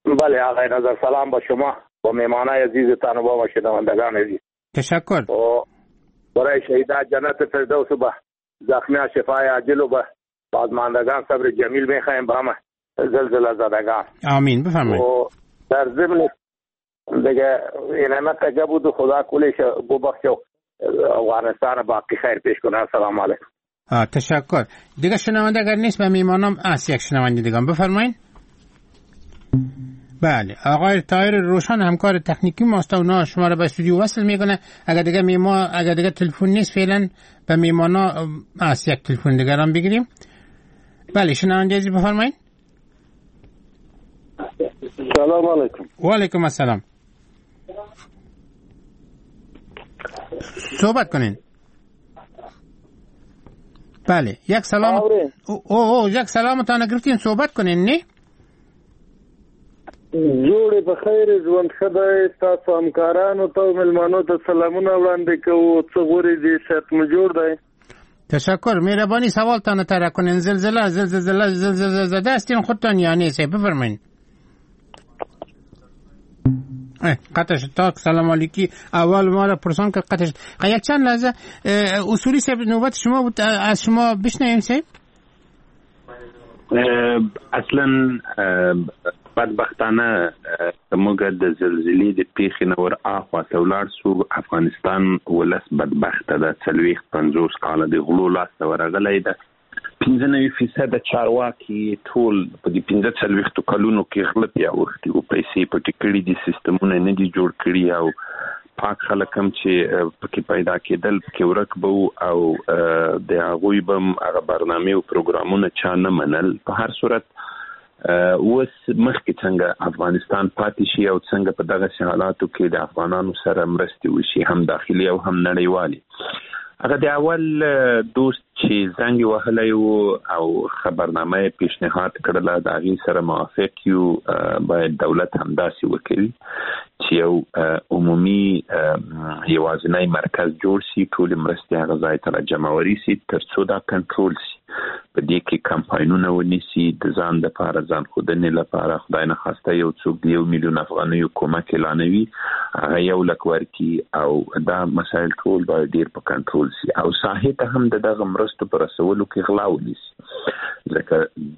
بله آقای نظر، سلام با شما با مهمانای عزیزتان و با شنوندگان عزیز.
تشکر.
برای شهیدان جنت فردوس و به زخمیان شفای عاجل و به بازماندگان صبر جمیل میخواهیم به همه زلزله زدگان.
آمین. بفرمایید.
و در ضمن دیگه اینمه قجه بود و خدا کلش ببخشه افغانستان باقی خیر پیش کنه. السلام علیکم.
تشکر. دیگه شنونده اگر نیست به میمانم است یک شنونده دیگه. بفرمایید. بله آقای طاهر روشن همکار تکنیکی ماست و اونا شما را به استودیو وصل میکنه. اگر دیگه میما اگر دیگه تلفن نیست فعلا به میمانا است یک تلفن دیگه هم بگیریم. بله شنونده عزیز بفرمایید.
سلام علیکم.
و علیکم السلام. صحبت کنین. بله یک سلام او او یک سلام تا نگرفتین، صحبت کنین. نه
جوړې په خیر، ژوند ښه دی. ستاسو همکارانو ته او مېلمنو ته سلامونه وړاندې کوو. څه غورې دي، صحت مو جوړ دی؟
تشکر. مهربانی سوالتان طرح کنین. زلزله زلزله زلزله زده هستین خودتان یا نیست؟ بفرمایین. قطع شد. تا سلام علیکی اول ما را پرسان که قطع شد. یک چند لحظه اصولی صاحب نوبت شما بود، از شما بشنویم صاحب.
اصلا بدبختانه موږ د زلزلې د پیښې نه ور اخوا ته ولاړ سو. افغانستان ولس بدبخته ده، څلوېښت پنځوس کاله د غلو لاسته ورغلی ده. پنځه نوي فیصده چارواکي ټول په دې پنځه څلوېښتو کلونو کې غله پې اوښتي او پیسې پټې کړي دي، سیستمونه نه دي جوړ کړي او پاک خلک هم چې پکې پیدا کېدل پکې ورک به وو او د هغوی به هم هغه برنامې او پروګرامونه چا نه منل. په هر صورت اوس مخکې څنګه افغانستان پاتې شي او څنګه په دغسې حالاتو کې د افغانانو سره مرستې وشي، هم داخلي او هم نړیوالې. هغه د اول دوست چې زنګ وهلی و او خبرنامه یې پیشنهاد کړله، د هغې سره موافق یو. باید دولت همداسې وکړي چې یو عمومي یوازینی مرکز جوړ شي، ټولې مرستې هغه ځای ته راجمعوري شي ترڅو دا کنټرول شي. په دې کې کمپاینونه ونیسي د ځان دپاره، ځان ښودنې لپاره. خدای نخواسته یو څوک د یو میلیون افغانیو کومک اعلانوي، هغه یو لک ورکړي او دا مسایل ټول باید ډېر په کنټرول شي او ساحې ته هم د دغه مرستو په رسولو کې غلا ونیسي، ځکه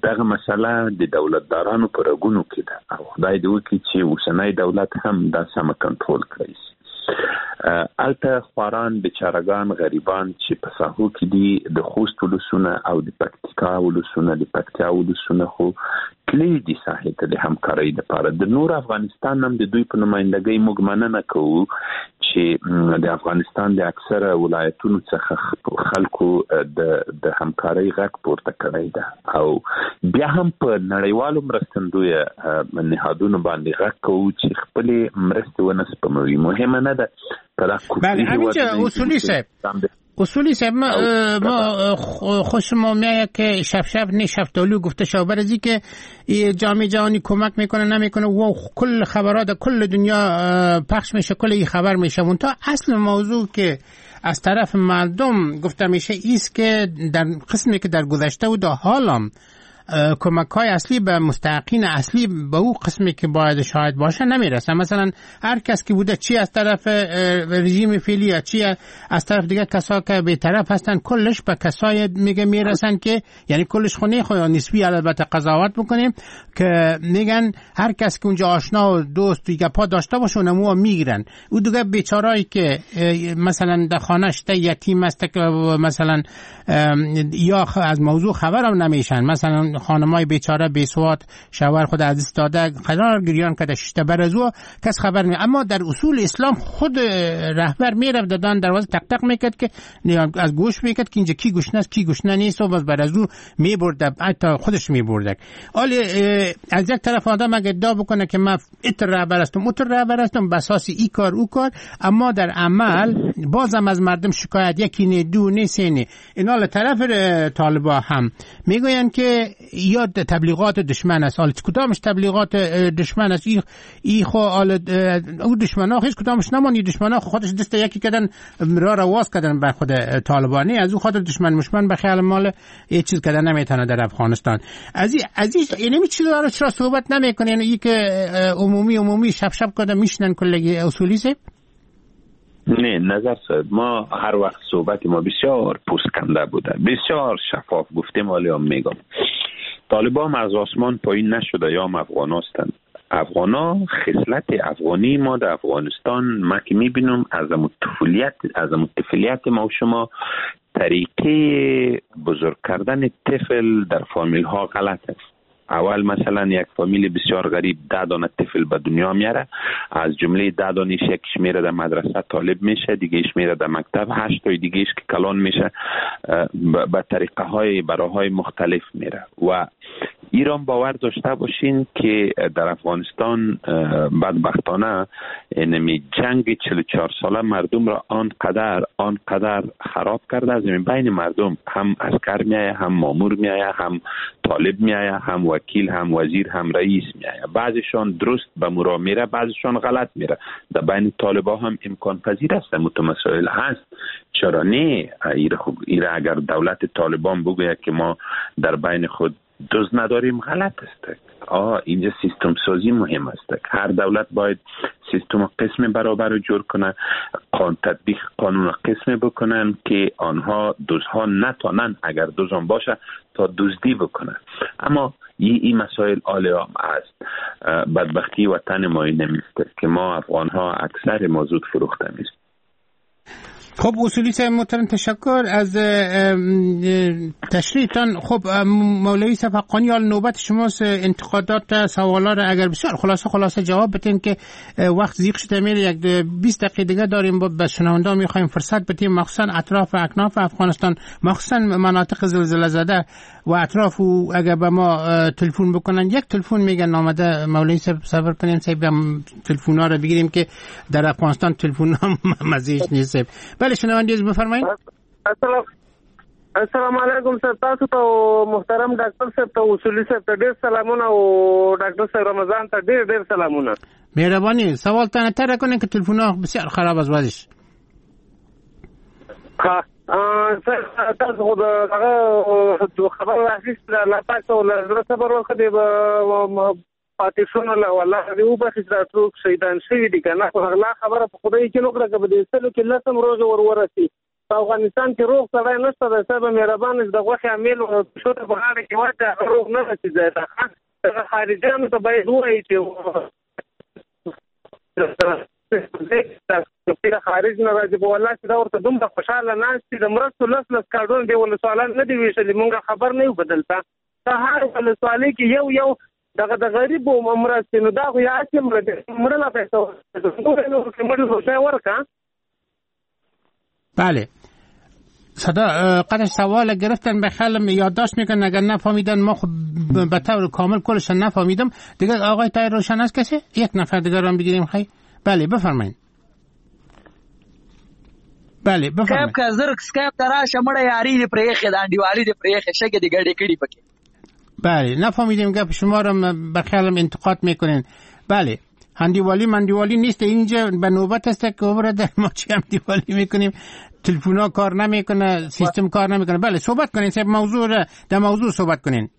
دغه مسله د دولتدارانو په رګونو کې ده او خدای دې وکړي چې اوسنی دولت هم دا سمه کنټرول کړی شي. هلته خواران، بیچارهګان، غریبان چې په ساحو کې دي، د خوست ولسونه او د پکتیکا ولسونه، د پکتیا ولسونه خو تللي دي ساحې ته د همکارۍ دپاره. د نور افغانستان هم د دوی په نمایندګۍ موږ مننه کوو چې د افغانستان د اکثره ولایتونو څخه خلکو د د همکارۍ غږ پورته کړی ده او بیا هم په نړیوالو مرستندویه نهادونو باندې غږ کوو چې خپلې مرستې ونه سپموي. مهمه نه ده.
بله همینجا اصولی صاحب، اصولی صاحب ما, ما خوش ما میاد که شب شب نه شفتالو گفته شو برزی که جامعه جهانی کمک میکنه نمیکنه و کل خبرات کل دنیا پخش میشه، کل این خبر میشه. تا اصل موضوع که از طرف مردم گفته میشه ایست که در قسمی که در گذشته و در حالم کمک های اصلی به مستحقین اصلی به او قسمی که باید شاید باشه نمیرسه. مثلا هر کس که بوده، چی از طرف رژیم فعلی یا چی از طرف دیگه کسا که به طرف هستن، کلش به کسای میگه میرسن که یعنی کلش خونه خو نسبی البته قضاوت بکنیم که میگن هر کس که اونجا آشنا و دوست و گپا داشته باشه اونمو میگیرن. او دیگه بیچارهایی که مثلا در خانه‌اش یتیم است که مثلا یا از موضوع خبرم نمیشن، مثلا خانمای بیچاره بی سواد شوهر خود از دست داده قرار گریان کده ششته بر از او کس خبر نمی. اما در اصول اسلام خود رهبر میرفت دادن دروازه تق تق میکرد که از گوش میکرد که اینجا کی گشنه است کی گشنه نیست و باز بر از او میبرد، حتی خودش میبرد. حالا از یک طرف آدم اگه ادعا بکنه که من اتر رهبر هستم اتر رهبر هستم به اساس ای کار او کار، اما در عمل بازم از مردم شکایت یکی نه دو نه سه نه. اینا طرف طالبا هم میگوین که یا تبلیغات دشمن است. حالا کدامش تبلیغات دشمن است؟ ای ای خو حالا او دشمنا هیچ کدامش نمانی، دشمنا خودش دست یکی کردن را را واز کردن بر خود طالبانی، از او خاطر دشمن مشمن به خیال مال یه چیز کردن نمیتونه در افغانستان. از این از این یعنی چیز داره چرا صحبت نمیکنه؟ یعنی ای که عمومی عمومی شب شب کردن میشنن کلگی اصولی سه.
نه نظر صاحب، ما هر وقت صحبت ما بسیار پوستکنده بوده، بسیار شفاف گفتیم. ولی هم میگم طالبان از آسمان پایین نشده یا هم افغان هستند. افغان ها خصلت افغانی ما در افغانستان ما که میبینم از طفولیت از طفولیت ما و شما طریقه بزرگ کردن طفل در فامیل ها غلط است. اول مثلا یک فامیل بسیار غریب ده دانه طفل به دنیا میاره، از جمله ده دانش یکیش میره در مدرسه طالب میشه، دیگهش میره در مکتب، هشت تای دیگهش که کلان میشه به طریقه های براهای مختلف میره. و ایران باور داشته باشین که در افغانستان بدبختانه اینمی جنگ چهل و چهار ساله مردم را آنقدر آنقدر خراب کرده، از بین مردم هم عسکر میایه، هم مامور میایه، هم طالب میایه، هم وکیل، هم وزیر، هم رئیس میایه. بعضیشان درست به مرا میره، بعضیشان غلط میره. در بین طالبا هم امکان پذیر است، متمسائل هست. چرا نه؟ ایره اگر دولت طالبان بگوید که ما در بین خود دوز نداریم، غلط است. آه اینجا سیستم سازی مهم است. هر دولت باید سیستم قسم برابر رو جور کنه، قانون تطبیق قانون قسم بکنن که آنها دوزها نتانن اگر دوزان باشه تا دزدی بکنن. اما این ای مسائل عالی عام است. بدبختی وطن ما این نیست که ما افغان ها اکثر ما زود فروخته میشیم.
خب اصولی صاحب محترم تشکر از تشریحتان. خب مولوی صاحب حقانی، حال نوبت شماست، انتقادات سوالا را اگر بسیار خلاصه خلاصه جواب بدین که وقت زیق شده میره، یک بیست دقیقه دیگه داریم، با به شنونده میخوایم فرصت بدیم، مخصوصا اطراف و اکناف افغانستان، مخصوصا مناطق زلزله زده و اطراف، و اگر به ما تلفن بکنن یک تلفن میگن آمده مولوی صاحب، صبر کنیم صاحب تلفن ها را بگیریم که در افغانستان تلفن ها مزیش نیست. بله شنونده عزیز بفرمایید.
السلام السلام علیکم سر، تاسو ته محترم ډاکټر صاحب ته اصولي صاحب ته ډېر سلامونه او ډاکټر صاحب رمضان ته ډېر ډېر سلامونه.
مهربانی سوال تانه تر کنین که تلفن ها بسیار خراب از وضعش.
ها سر تاسو خو دغه خبر راخیستله، الله پاک ته له زړه صبر ورکړي، پاتې شونو له والله دې وبخښي چې دا څوک شهیدان شوي دي که نه، خو هغه خبره په خدای کې نه کړه که په دې سلو کې لس هم روژه ور ورسي. په افغانستان کې روغ سړی نشته دی صاحب، مهربان چې د غوښې امیل پښو ته په غاړه کې واچوي هغه روغ نه رسي ځای ته. دغه خارجیانو ته باید ووایي چې خارج نه راځي، په والله چې دا ورته دومره خوشحاله ناست دي، د مرستو لس لس کارډونه دې ولسوالان نه دي ویشلي، مونږ خبر نه یو په دلته په هر ولسوالۍ کې یو یو دغه د غریبو مرستې، نو دا خو یې هسې مړه دی، مړه لا پیسه مړه ورکړه.
بله صدا قدر سوال گرفتن به خیالم یادداشت میکنن، اگر نفهمیدن ما خب به طور کامل کلش نفهمیدم دیگه. آقای طاهر روشن است کسی؟ یک نفر دیگه رو بگیریم. خیلی بله بفرمایید. بله بفرمایید.
سکایپ که زر سکایپ ته راشه مړه یاري دې پرې ایښې ده، انډیوالي دې پرې ایښې، شګې دې ګډې کړي پکې.
بله نفهمیدیم گپ شما رو به خیالم انتقاد میکنین. بله هندیوالی مندیوالی نیست اینجا، به نوبت است که برادر ما چی هندیوالی میکنیم، تلفن کار نمیکنه، سیستم کار نمیکنه. بله صحبت کنین صاحب موضوع را، در موضوع صحبت کنین.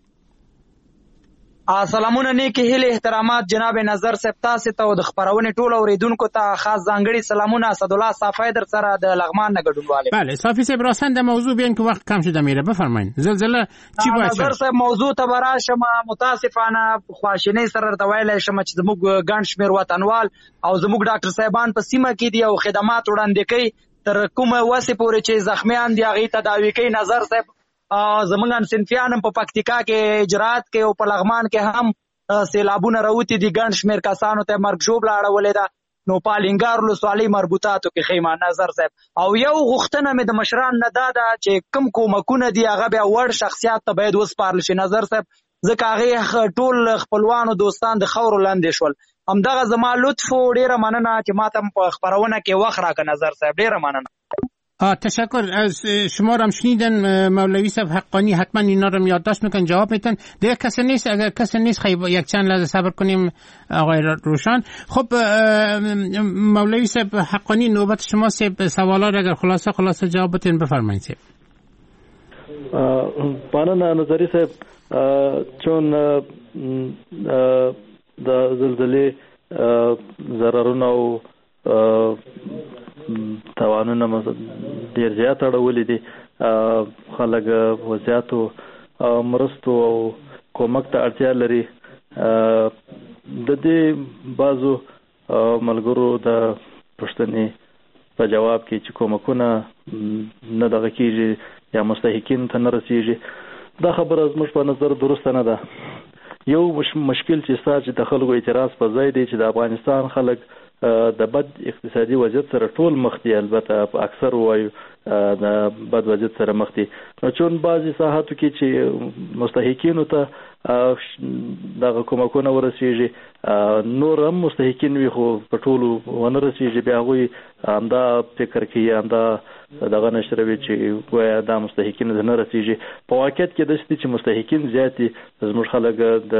سلامونه نیکې هیلې احترامات جناب نظر صاحب تاسو ته او د خپرونې ټولو اورېدونکو ته خاص ځانګړي سلامونه. اسدالله صافی در سره د لغمان نه ګډونوال.
بله صافی صاحب راساً در موضوع بیاین که وقت کم شده میره. بفرمایید زلزله چی باید
نظر صاحب موضوع ته به راشم. متاسفانه خواشینۍ سره درته ویلی شم چې زموږ ګڼ شمېر وطنوال او زموږ ډاکټر صاحبان په سیمه کې دي او خدمات وړاندې کوي تر کومه وسې پورې چې زخمیان دي هغې تداوي کوي. نظر صاحب زمونږ همصنفیان هم په پکتیکا کې اجرات کوي او په لغمان کې هم سیلابونه راوتي دي، ګڼ شمېر کسانو ته مرګ ژوبله اړولې ده. نو په الینګار ولسوالۍ مربوطاتو کې خیمه نظر صاحب. او یو غوښتنه مې د مشران نه دا ده چې کوم کومکونه دي هغه بیا وړ شخصیات ته باید وسپارل شي نظر صاحب، ځکه هغې ټول خپلوانو دوستان د خاورو لاندې شول. همدغه زما لطف و، ډېره مننه چې ماته هم په خپرونه کې وخت راکړه نظر صاحب، ډېره مننه.
تشکر از شما رو هم شنیدن مولوی صاحب حقانی، حتما اینا رو یادداشت میکنن جواب میتن. دیگه کسی نیست؟ اگر کسی نیست خیلی یک چند لحظه صبر کنیم آقای روشن. خب مولوی صاحب حقانی نوبت شما صاحب، سوالا رو اگر خلاصه خلاصه جواب بتین بفرمایید صاحب.
مننه نظری صاحب، چون د زلزلې ضررونه او تاوانونه ډېر زیات اړولي دي، خلک زیاتو مرستو او کومک ته اړتیا لري. د دې بعضو ملګرو د پوښتنې په جواب کې چې کومکونه نه دغه کېږي یا مستحقین ته نه رسېږي، دا خبره زموږ په نظر درسته نه ده. یو مشکل چې ستا چې د خلکو اعتراض په ځای دی چې د افغانستان خلک د بد اقتصادي وضعیت سره ټول مخ دي، البته اکثر وایو د بد وضعیت سره مخ دي. نو چون بعضې ساحاتو کې چې مستحقینو ته دغه کومکونه ورسیږي، نور هم مستحقین وي خو په ټولو ونه رسیږي، بیا هغوی همدا فکر کوي، همدا دغه نشروي چې ګویا دا مستحقین ته نه رسیږي. په واقعیت کې داسې دي چې مستحقین زیات دي. زموږ خلک د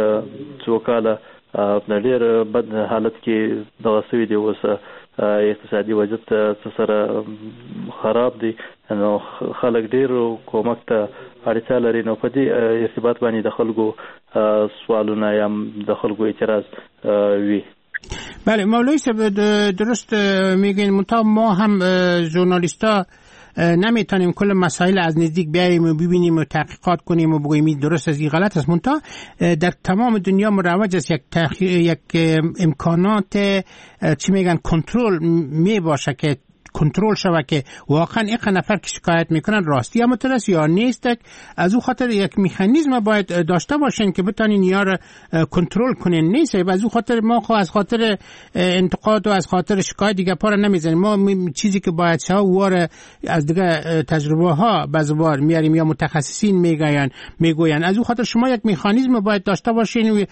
څو کاله په ډېر بد حالت کې دغه سوي دي، اوس اقتصادي وضعیت څه سره خراب دی، نو خلک ډېر کومک ته اړتیا لري. نو په دې ارتباط باندې د خلکو سوالونه یا د خلکو اعتراض وي.
بله مولوی صاحب درست میگین، منتها ما هم ژورنالیستا نمیتونیم کل مسائل از نزدیک بیاییم و ببینیم و تحقیقات کنیم و بگوییم درست است یا غلط است. منتها در تمام دنیا مروج است یک تحقیق، یک امکانات چی میگن کنترل می باشه که کنترل شوه که واقعا یک نفر که شکایت میکنن راستی هم است یا نیست. از او خاطر یک مکانیزم باید داشته باشین که بتانین یار کنترل کنین. نیست از او خاطر ما خو از خاطر انتقاد و از خاطر شکایت دیگه پا نمیزنیم. ما چیزی که باید شوه وار از دیگه تجربه ها بزبار میاریم یا متخصصین میگوین میگوین. از او خاطر شما یک مکانیزم باید داشته باشین.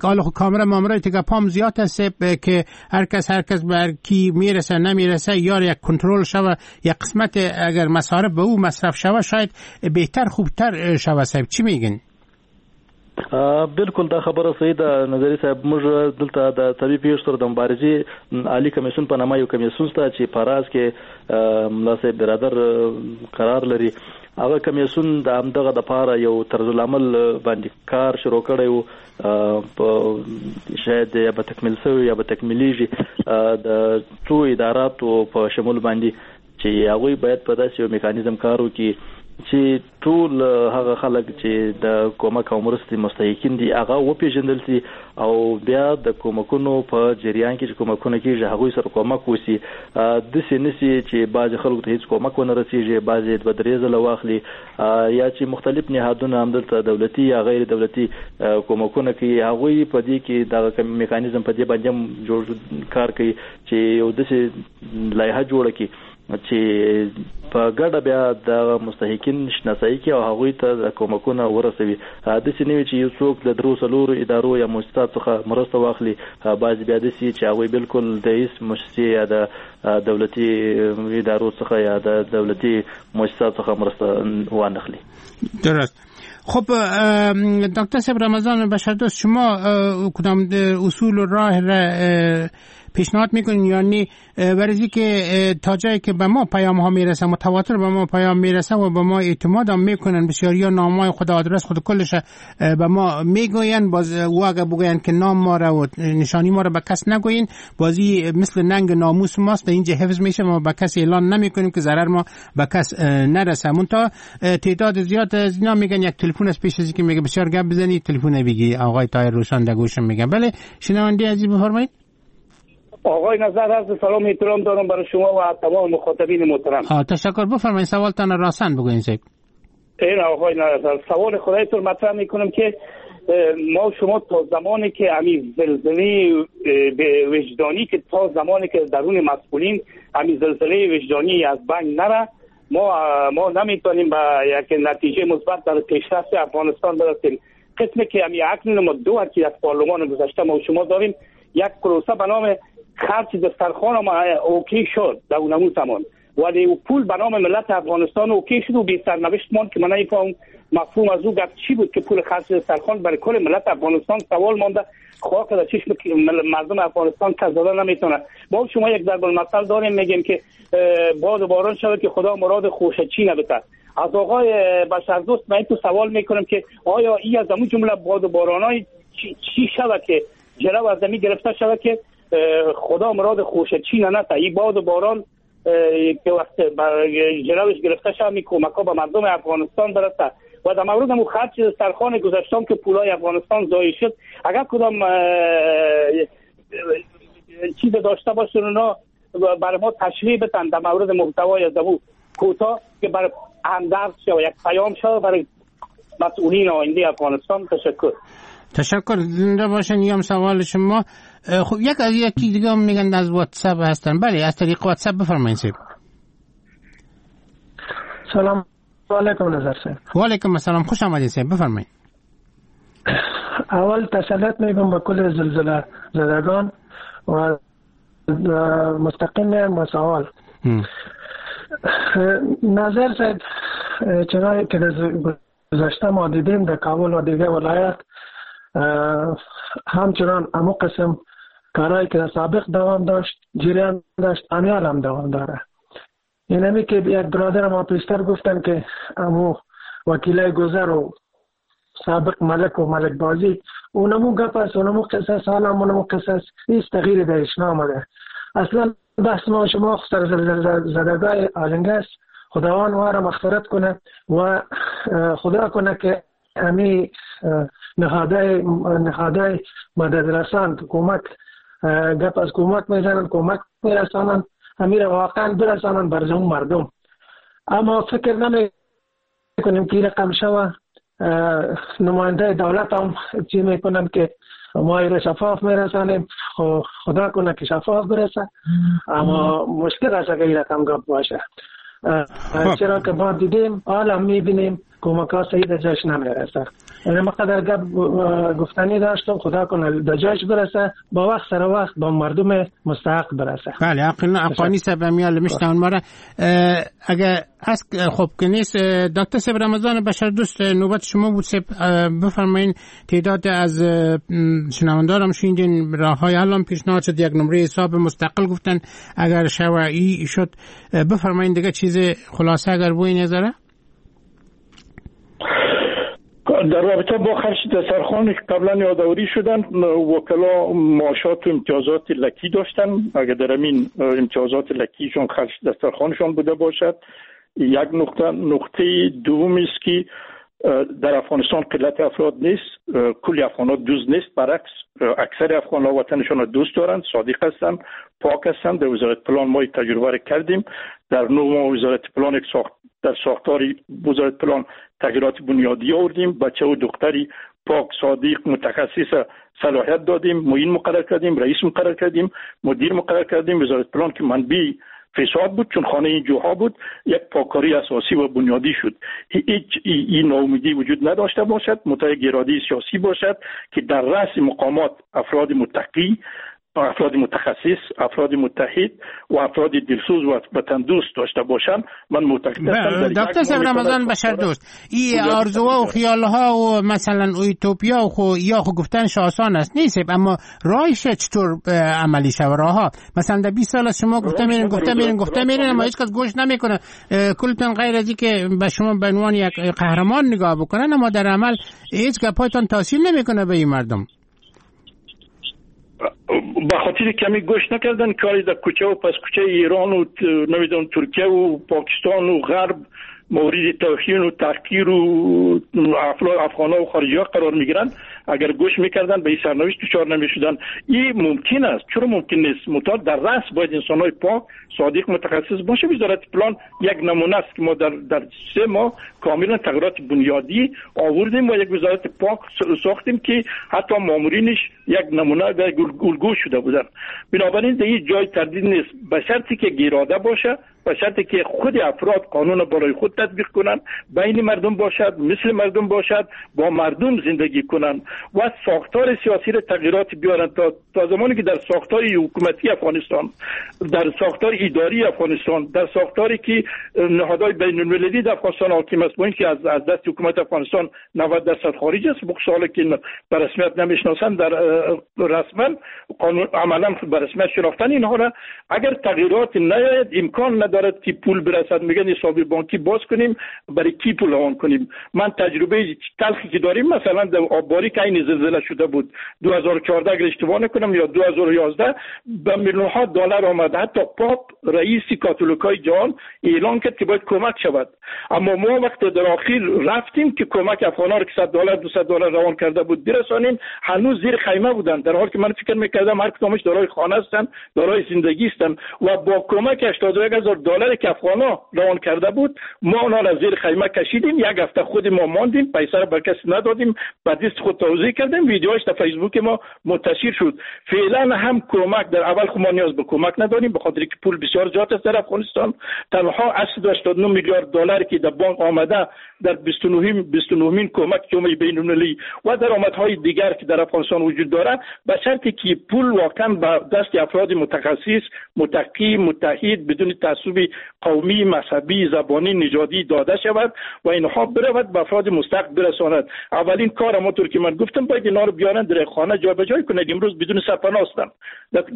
حالا خو کامرا مامرا دیگه پام زیاد هست که هر کس هر کس بر کی میرسه نمیرسه، یار یک کنترل شوه، یک قسمت اگر مصارف به او مصرف شوه شاید بهتر خوبتر شوه. صاحب چی میگن؟
بالکل دا خبره صحیح ده نظری صاحب. موږ دلته د طبیعي پېښو سره د مبارزې عالي کمیسیون په نامه یو کمیسیون شته چې په راز کې ملا صاحب برادر قرار لري. هغه کمیسیون د همدغه دپاره یو طرزالعمل باندې کار شروع کړی و، په شاید یا به تکمیل سوی یا به تکمیلیږي د څو اداراتو په شمول باندې چې هغوی باید په داسې یو میکانیزم کار وکړي چې ټول هغه خلک چې د کومک او مرستې مستحقین دي هغه وپیژندل سي او بیا د کومکونو په جریان کې چې کومکونه کیږي هغوی سره کومک وسي. داسې نه سي چې بعضې خلکو ته هیڅ کومک ونه رسیږي، بعضې دوه درې ځله واخلي، یا چې مختلف نهادونه همدلته دولتي یا غیر دولتي کومکونه کوي هغوی په دې کې دغه میکانیزم په دې باندې هم جوړ کار کوي چې یو داسې لایحه جوړه کړي چې په ګډه بیا د مستحقین شناسایی کوي او هغوی ته د کومکونه ورسوي. داسې نه وي چې یو څوک د درو څلورو ادارو یا موسساتو څخه مرسته واخلي، بعضې بیا داسې چې هغوی بالکل د هیڅ موسسې یا د دولتي ادارو څخه یا د دولتي موسساتو څخه مرسته وانخلي.
درست. خب دکتر صاحب رمضان بشردوست، شما کدام اصول و راه را پیشنهاد میکنین؟ یعنی برای که تا جایی که به ما پیام ها میرسه، متواتر به ما پیام میرسه و به ما اعتماد هم میکنن، بسیاری ها نام های خود آدرس خود کلش به ما میگوین، باز او اگه بگوین که نام ما را و نشانی ما را به کس نگوین، بازی مثل ننگ ناموس ماست اینجا حفظ میشه، ما به کس اعلان نمیکنیم که ضرر ما به کس نرسه. منتها تعداد زیاد از اینا میگن یک تلفن از پیش از که میگه بسیار گپ بزنی تلفن بگی آقای طاهر روشان در گوشم میگه. بله شنونده عزیز بفرمایید.
آقای نظر عرض سلام احترام دارم برای شما و تمام مخاطبین محترم.
تشکر. بفرمایید سوالتان راسن بگوین صاحب.
این آقای نظر سوال خدایتون مطرح میکنم که ما شما تا زمانی که امی زلزله وجدانی که تا زمانی که درون مسئولین امی زلزله وجدانی از بین نره، ما ما نمیتونیم به یک نتیجه مثبت در پیشرفت افغانستان برسیم. قسمی که امی اکنون ما دو که از پارلمان گذشته ما شما داریم یک پروسه به نام خرج دسترخوان ما okay شد در اونمو زمان، ولی او پول به نام ملت افغانستان okay شد و بی سرنوشت ماند که من نمیفهم مفهوم از او گپ چی بود که پول خرج دسترخوان برای کل ملت افغانستان سوال مانده، خاک در چشم مردم افغانستان کس زده نمیتونه. با شما یک ضرب المثل داریم میگیم که باد و باران شود که خدا مراد خوشه چی نبته. از آقای بشردوست من تو سوال میکنم که آیا ای از اون جمله باد و بارانای چی, چی شود که جلو از زمین گرفته شود که خدا مراد خوشه چی نه این باد و باران که وقت جلوش گرفته شود می کمک ها به مردم افغانستان برسه. و در مورد مو خرج سرخان گذشتم که پولای افغانستان ضایع شد، اگر کدام چیز داشته باشن اونا برای ما تشریح بدن در مورد محتوای از او کوتاه که برای همدرد شود، یک پیام شود برای مسئولین آینده افغانستان. تشکر.
تشکر. زنده باشن. یام سوال شما. خب یک از یکی دیگه هم میگن از واتساپ هستن. بله از طریق واتساپ بفرمایید صاحب.
سلام علیکم نظر صاحب.
و علیکم السلام، خوش آمدید صاحب، بفرمایید.
اول تسلیت میگم به کل زلزله زدگان و مستقیم با سوال نظر صاحب، چرا که گذشته ما دیدیم در کابل و دیگه ولایت همچنان امو قسم کارهایی که در سابق دوام داشت جریان داشت امیال هم دوام داره. اینمی که یک برادر ما پیشتر گفتن که امو وکیلای گذر و سابق ملک و ملک بازی اونمو گپ است، اونمو قصص، حالا اونمو قصص، هیچ تغییری درش نامده. اصلا بحث ما شما سر زدگاه آلنگه است. خداوند ما را مغفرت کنه و خدا کنه که امی نهادهای نهادهای مدد رسان کمک گپ از کمک میزنن، کمک میرسانن، امیر واقعا برسانن بر زمون مردم. اما فکر نمی کنیم که رقم شوه. نماینده دولت هم چی میکنن که ما ایره شفاف میرسانیم، خدا کنه که شفاف برسه، اما مشکل است اگر این رقم گپ باشه، چرا که ما دیدیم حالا میبینیم کمک ها صحیح در جایش نمیرسه. یعنی ما قدر گپ گفتنی داشتم، خدا کنه در جایش برسه، با وقت سر وقت با مردم مستحق برسه.
بله اقانی صاحب میال میشنون ما را. اگر از خب که نیست، دکتر صاحب رمضان بشر دوست نوبت شما بود صاحب، بفرمایین تعداد از شنوندارم شنیدین راه های الان پیشنهاد شد، یک نمره حساب مستقل گفتن اگر شوعی شد، بفرمایین دیگه چیز خلاصه اگر بوی نظره.
در رابطه با خرج دسترخوان که قبلا یادآوری شدن، وکلا معاشات و امتیازات لکی داشتن، اگر در همین امتیازات لکیشون خرج دسترخوانشان بوده باشد یک نقطه. نقطه دوم است که در افغانستان قلت افراد نیست، کلی افغان‌ها دوست نیست، برعکس اکثر افغان‌ها وطنشان را دوست دارند، صادق هستند، پاک هستند. در وزارت پلان ما تجربه را کردیم، در نه ماه وزارت پلان ساخت در ساختار وزارت پلان تغییرات بنیادی آوردیم، بچه و دختری پاک صادق متخصص صلاحیت دادیم، معین مقرر کردیم، رئیس مقرر کردیم، مدیر مقرر کردیم. وزارت پلان که منبع فساد بود چون خانه این جوها بود، یک پاکاری اساسی و بنیادی شد. هیچ این ناامیدی وجود نداشته باشد، متأ گرادی سیاسی باشد که در رأس مقامات افراد متقی، افراد متخصص، افراد متحد و افراد دلسوز و وطن دوست داشته باشند. من معتقد هستم
دکتر صاحب رمضان بشر دوست، این آرزوها و خیالها و مثلا اوتوپیا و خو یا خو گفتنش آسان است نیست، اما راهش چطور عملی شوه؟ راهها مثلا در بیست سال از شما گفته میرین گفته میرین گفته میرین اما هیچ کس گوش نمیکنه، کلتون غیر از اینکه به شما به عنوان یک قهرمان نگاه بکنن، اما در عمل هیچ گپایتون تاثیر نمیکنه به این مردم.
به خاطر کمی گوش نکردن کاری در کوچه و پس کوچه ایران و نمیدونم ترکیه و پاکستان و غرب مورد توهین و تحقیر و افغان‌ها و خارجی‌ها قرار میگیرن. اگر گوش میکردن به این سرنوشت دچار نمیشدن. این ممکن است، چرا ممکن نیست؟ متأ در رأس باید انسان‌های پاک صادق متخصص باشه. وزارت پلان یک نمونه است که ما در در سه ماه کاملا تغییرات بنیادی آوردیم و یک وزارت پاک ساختیم که حتی مامورینش یک نمونه و الگو شده بودن. بنابراین در هیچ جای تردید نیست، به شرطی که گیراده باشه، به شرطی که خود افراد قانون بالای خود تطبیق کنند، بین مردم باشد، مثل مردم باشد، با مردم زندگی کنند و ساختار سیاسی را تغییرات بیارند. تا تا زمانی که در ساختار حکومتی افغانستان، در ساختار اداری افغانستان، در ساختاری که نهادهای بین المللی در افغانستان حاکم است، با اینکه از از دست حکومت افغانستان نود درصد خارج است، بخصوص که به رسمیت نمیشناسند، در رسما قانون عملا به رسمیت شناختن اینها را، اگر تغییرات نیاید امکان ندارد که پول برسد. میگن حساب بانکی باز کنیم، برای کی پول روان کنیم؟ من تجربه تلخی که داریم مثلا در آبباری که این زلزله شده بود دو هزار و چهارده اگر اشتباه نکنم یا دو هزار و یازده به میلیون ها دلار آمد. حتی پاپ رئیس کاتولیکای جهان اعلان کرد که باید کمک شود، اما ما وقت در آخر رفتیم که کمک افغان‌ها رو که صد دلار دویست دلار روان کرده بود برسانیم، هنوز زیر خیمه بودن، در حالی که من فکر می‌کردم هر کدامش دارای خانه هستند، دارای زندگی هستند و با کمک هشتاد و یک هزار دلار که افغان‌ها روان کرده بود ما آنها را زیر خیمه کشیدیم. یک هفته خود ما ماندیم، پیسه را به کسی ندادیم، به دست خود توزیع کردیم، ویدیوهاش در فیسبوک ما منتشر شد. فعلا هم کمک در اول خود ما نیاز به کمک نداریم، به خاطر که پول بسیار زیاد است در افغانستان. تنها هشتصد و هشتاد و نه میلیارد دلار که در بانک آمده در بیست و نه کمک جامعه بین‌المللی و درآمدهای دیگر که در افغانستان وجود دارد، به شرطی که پول واقعا به دست افراد متخصص، متقی، متحد، بدون تعصب قومی، مذهبی، زبانی، نژادی داده شود و اینها برود به افراد مستحق برساند. اولین کار همونطور که من گفتم باید اینا رو بیارن در خانه جا به جای کنند. امروز بدون سرپناه هستند،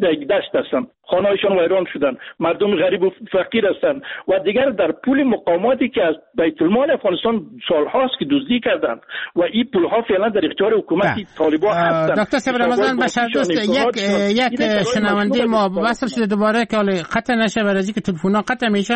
در یک دشت هستند، خانه‌هایشان ویران شدن، مردم غریب و فقیر هستند و دیگر در پول مقاماتی که از بیت المال افغانستان سالهاست که دزدی کردند و این پولها فعلا در اختیار حکومت طالبان هستند.
دکتر صاحب رمضان بشر دوست، یک یک شنونده ما وصل شده دوباره که حالا قطع نشه برای اینکه تلفن‌ها قطع میشه.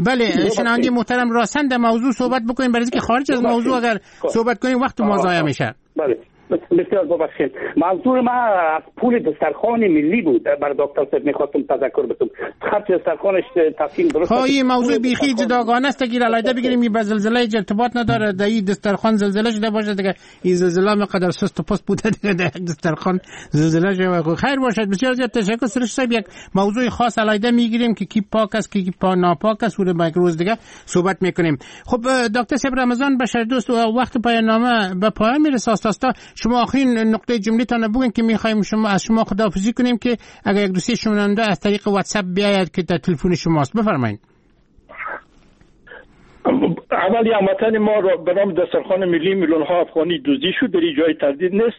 بله شنونده محترم راسن در موضوع صحبت بکنیم، برای اینکه خارج از موضوع اگر صحبت کنیم وقت ما ضایع میشه.
بله
بسیار ببخشید، منظور من از پول دسترخوان ملی بود. بر دکتر صاحب میخواستم تذکر بدم خرج دسترخوانش تصمیم درست.
خب این موضوع بیخی جداگانه است که علیحده بگیریم، این به زلزله ارتباط نداره. در این دسترخوان زلزله شده باشه دیگه، این زلزله مقدر سست و پست بوده دیگه، در دسترخوان زلزله شده. خیر باشد. بسیار زیاد تشکر سرش صاحب. یک موضوع خاص علیحده میگیریم که کی پاک است کی پا ناپاک است، اون با روز دیگه صحبت میکنیم. خب دکتر صاحب رمضان بشر دوست، وقت پایان نامه به پایان میرسه. آستا شما آخرین نقطه جمله تان بگین که میخوایم شما از شما خداحافظی کنیم که اگر یک دوستی شنونده از طریق واتساپ بیاید که در تلفن شماست، بفرمایید.
اولی هموطن ما را به نام دسترخوان ملی میلیون ها افغانی دزدی شد، در جای تردید نیست.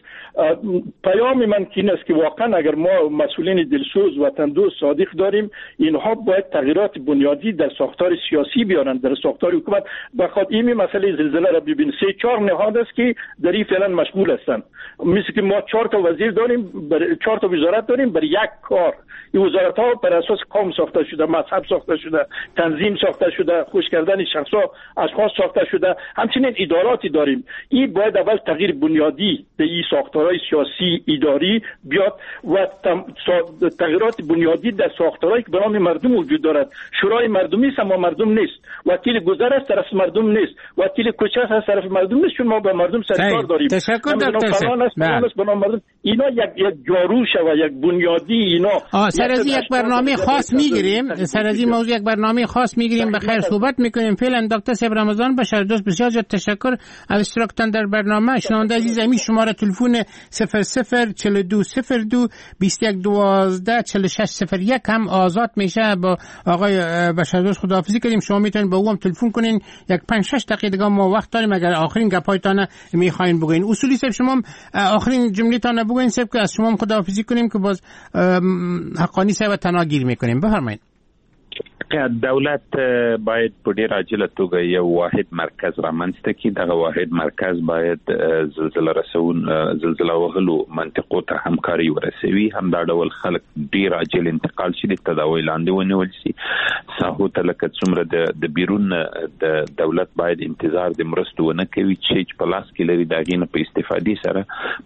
پیام من که این است که واقعا اگر ما مسئولین دلسوز، وطن دوست، صادق داریم، اینها باید تغییرات بنیادی در ساختار سیاسی بیارند، در ساختار حکومت. بخاطر این مسئله زلزله را ببین، سه چهار نهاد است که در این فعلا مشغول هستند. مثل که ما چهار تا وزیر داریم، بر چهار تا وزارت داریم بر یک کار. این وزارت ها بر اساس قوم ساخته شده، مذهب ساخته شده، تنظیم ساخته شده، خوش کردن شخصا اشخاص ساخته شده. همچنین اداراتی داریم. این باید اول تغییر بنیادی به این ساختارهای سیاسی اداری بیاد و تغییرات بنیادی در ساختارهایی که به نام مردم وجود دارد. شورای مردمی است اما مردم نیست، وکیل گذر است طرف مردم نیست، وکیل کوچه است طرف مردم نیست، چون ما به مردم سرکار داریم.
تشکر دکتر
صاحب. به نام مردم اینا یک یک جارو شوه، یک بنیادی اینا.
سر از یک برنامه خاص میگیریم، سر از این موضوع یک برنامه خاص میگیریم، به خیر صحبت میکنیم. فعلا دکتر صاحب رمضان بشر دوست، بسیار زیاد تشکر از اشتراکتان در برنامه. شنونده عزیز، همین شماره تلفن صفر صفر چهل و دو صفر دو بیست و یک دوازده چهل و شش صفر یک هم آزاد میشه. با آقای بشر دوست خداحافظی کردیم. شما میتونید با او هم تلفن کنین. یک پنج شش دقیقه دیگه ما وقت داریم اگر آخرین گپایتان میخواین بگین. اصولی صاحب شما آخرین جمله تان بگین صاحب که از شما هم خداحافظی کنیم که باز حقانی صاحب تناگیر میکنیم. بفرمایید.
دولت باید په ډیر عاجله توګه یو واحد مرکز رامنځته کړي. دغه واحد مرکز باید زلزله رسون زلزله وهلو منطقو ته همکاري ورسوي. همدا ډول خلک ډیر عاجل انتقال شي، د تداوی لاندې ونیول شي. ساحو ته لکه څومره د بیرون د دولت باید انتظار د مرستو ونه کوي چې په لاس کې لري، د هغې نه په استفادې سره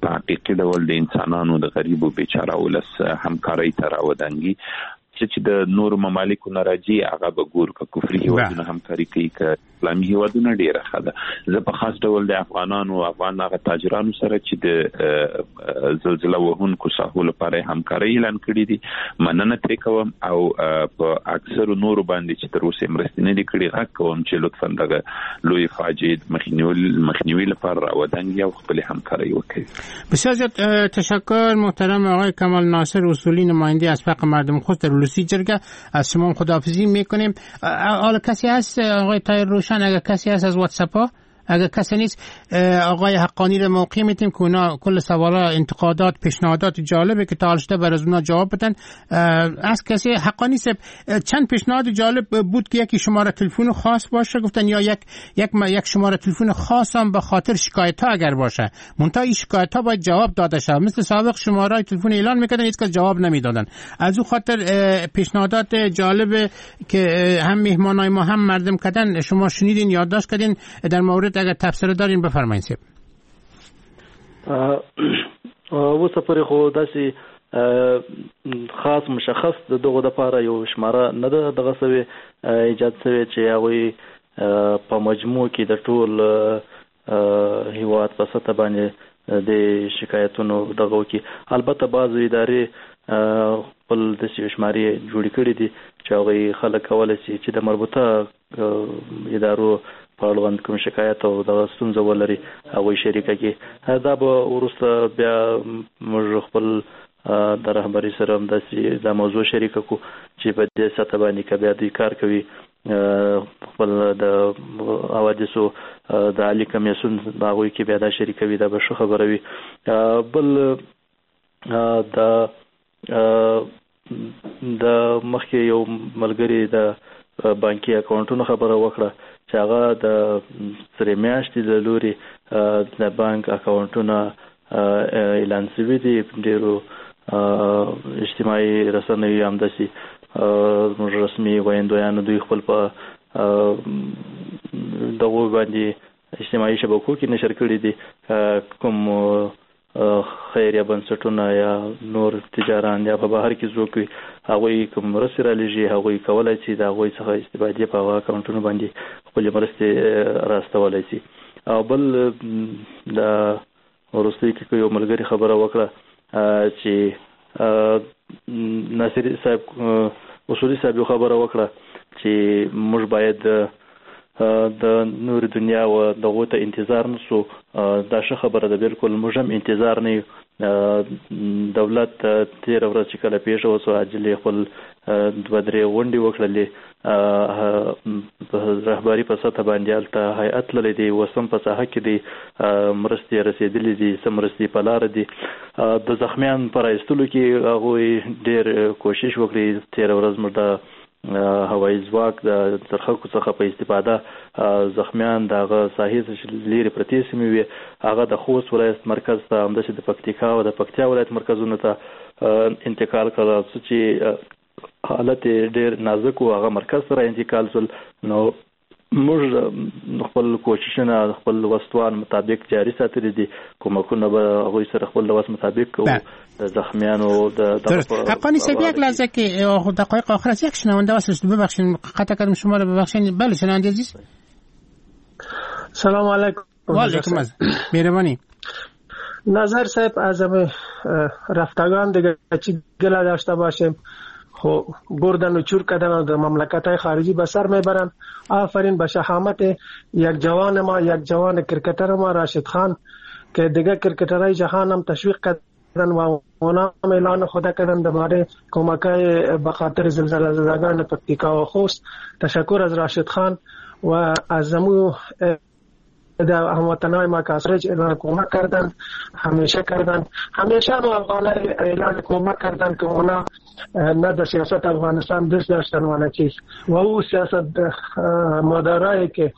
په حقیقي ډول د انسانانو د غریبو بیچاره ولس همکارۍ ته راودانګي. چې د نورو ممالکو نه راځي هغه به ګورو که کفري هیوادونه همکاري کوي که اسلامي هیوادونه، ډیره ښه ده. زه په خاص ډول د افغانانو افغان هغه تاجرانو سره چې د زلزله وهونکو ساحو لپاره همکاري اعلان کړې دي مننه ترې کوم، او په اکثرو نورو باندې چې تر اوسه مرستې نه دي کړې غږ کوم چې لطفاً دغه لوی فاجعې مخنیوي لپاره راودانګي او خپلې همکاري وکړي.
بسیار زیاد تشکر محترم آقای کمال ناصر اصولی، نماینده اسبق مردم خوست در ولسی جرگه. از شما خداحافظی میکنیم. حالا کسی هست آقای طاهر روشن؟ اگر کسی هست از واتساپ ها، اگر کسی نیست آقای حقانی رو موقع میتیم که اونا کل سوالا، انتقادات، پیشنهادات جالبه که تا حال شده بر از اونا جواب بدن. از کسی حقانی صاحب چند پیشنهاد جالب بود که یکی شماره تلفن خاص باشه گفتن، یا یک یک یک شماره تلفن خاص هم به خاطر شکایت ها اگر باشه، منتها این شکایت ها باید جواب داده شود. مثل سابق شماره تلفن اعلان میکردن هیچ کس جواب نمیدادن. از او خاطر پیشنهادات جالب که هم مهمانای ما هم مردم کردن شما شنیدین، یادداشت کردین. در مورد اگر تبصره دارین بفرمایید صاحب.
اوسه پورې خو داسې خاص مشخص د دغو دپاره یو شماره نه ده دغه سوې ایجاد سوې چې هغوی په مجموع کې د ټول هیواد په سطح باندې د شکایتونو دغه وکړي. البته بعضو ادارې خپل داسې یو شمارې جوړې کړې دي چې هغوی خلک کولی شي چې د مربوطه ادارو په اړوند کوم شکایت او دغه ستونزه ولري هغوی شریکه کړي. دا به وروسته بیا موږ خپل د رهبري سره هم داسې دا موضوع شریکه کړو چې په دې سطح باندې که بیا دوی کار کوي خپل د حوادثو د عالي کمیسیون د هغوی کې بیا دا شریکوي، دا به ښه خبره وي. بل د د مخکې یو ملګري د بانکي اکاونټونو خبره وکړه چې هغه د سرې میاشتې له لوري د بانک اکاونټونه اعلان شوي دي. ډېرو اجتماعي رسنیو هم داسې زموږ رسمي ویندویانو دوی خپل په دغو باندې اجتماعي شبکو کې نشر کړي دي. کوم خیریه بنسټونه یا نور تجاران یا په بهر کې څوک وي هغوی کوم مرستې رالیږي، هغوی کولای شي د هغوی څخه استفادې په هغه اکاونټونو باندې خپلې مرستې راستولی شي. او بل د وروستۍ کې یو ملګري خبره وکړه چې ناصر صاحب اصولي صاحب یو خبره وکړه چې موږ باید د نور دنیا و دغو ته انتظار نسو. دا ښه خبره ده، بالکل موږ هم انتظار نه یو. دولت تېره ورځ چې کله پېښه وشوه عاجلې خپل دوه درې غونډې وکړلې، رهبري په سطح باندې هلته هیئت تللی دی، اوس هم په ساحه کې دی، مرستې رسېدلې دي، څه مرستې په لاره دي. د زخمیان په را ایستلو کې هغوی ډېر کوشش وکړي. تېره ورځ موږ د هوایي ځواک د څرخکو څخه په استفاده زخمیان د هغه ساحې څخه چې لیرې پرتې سیمې وې هغه د خوست ولایت مرکز ته، همداسې د پکتیکا او د پکتیا ولایت مرکزونو ته انتقال کړل. څه چې حالت یې ډېر نازک و هغه مرکز ته را انتقال شول. نو موږ خپل کوششونه خپل وسوان مطابق جاری ساتلي دي، کمکونه به هغوی سره خپل وس مطابق کوو. د زخمیانو د
حقانی صاحب یک لحظه که دقایق آخر است، یک شنونده واسه ببخشید قطع کردم شما رو، ببخشید. بله شنونده عزیز،
سلام علیکم.
و علیکم السلام، مهربانی.
نظر صاحب از رفتگان دیگه چی گله داشته باشیم، خو بردن و چور کردن و در مملکت های خارجی به سر میبرن. آفرین به شهامت یک جوان ما، یک جوان کرکتر ما راشد خان که دیگه کرکترهای جهان هم تشویق کردن و اونا هم اعلان خدا کردن درباره کمک های به خاطر زلزله زدگان پکتیکا و خوست. تشکر از راشد خان و از مو در هموطنای ما که از خارج اعلان کمک کردن، همیشه کردن، همیشه هم افغانای اعلان کمک کردن که اونا نه در سیاست افغانستان دست داشتن و نه چیز، و او سیاست مدارایی که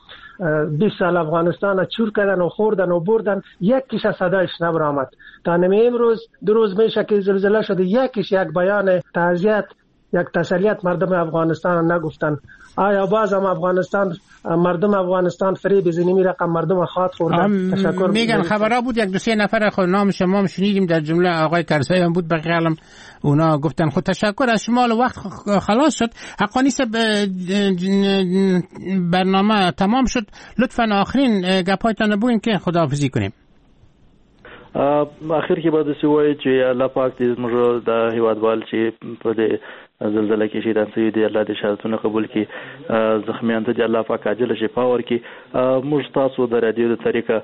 بیست سال افغانستان چور کردن و خوردن و بردن، یکیش از صدایش نبرآمد. تا نمی امروز دو روز میشه که زلزله شده، یکیش یک بیان تعزیت، یک تسلیت مردم افغانستان نگفتن. آیا باز هم افغانستان مردم افغانستان فریب زنیمی رقم مردم خاط خوردن؟ تشکر.
میگن خبرها بود یک دو سه نفر خود نام شما هم شنیدیم، در جمله آقای کرزی هم بود، بقیه هم اونا گفتن. خود تشکر از شما، وقت خلاص شد. حقانی صاحب برنامه تمام شد، لطفا آخرین گپایتان بگوین که خداحافظی کنیم.
اخر کې به داسې ووایي چې الله پاک دې زموږ د هیوادوال چې په دې زلزله کې شهیدان شوي دي الله دې شهادتونه قبول کړي، زخمیان ته دې الله پاک عاجله شفا ورکړي. موږ تاسو د رادیو د طریقه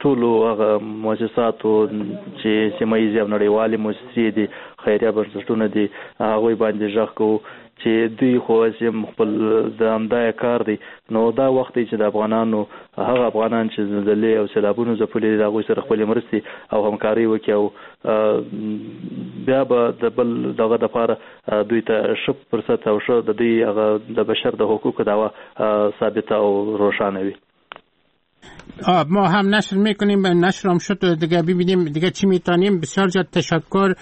ټولو هغه مؤسساتو چې سیمه ییزې او نړیوالې مؤسسې دي، خیریه بنسټونه دي، هغوی باندې غږ کوو چې دوی خو هسې هم خپل د همدا یې کار دی. نو دا وخت دی چې د افغانانو هغه افغانان چې زلزلې او سیلابونو ځپلي دي د هغوی سره خپلې مرستې او همکارۍ وکړي، او بیا به د بل دغه دپاره دوی ته ښه فرصت او ښه د دوی هغه د بشر د حقوقو دعوه ثابته او روښانه وي.
ما هم نشر میکنیم، نشر هم شد دیگه، ببینیم دیگه چی میتونیم. بسیار زیاد تشکر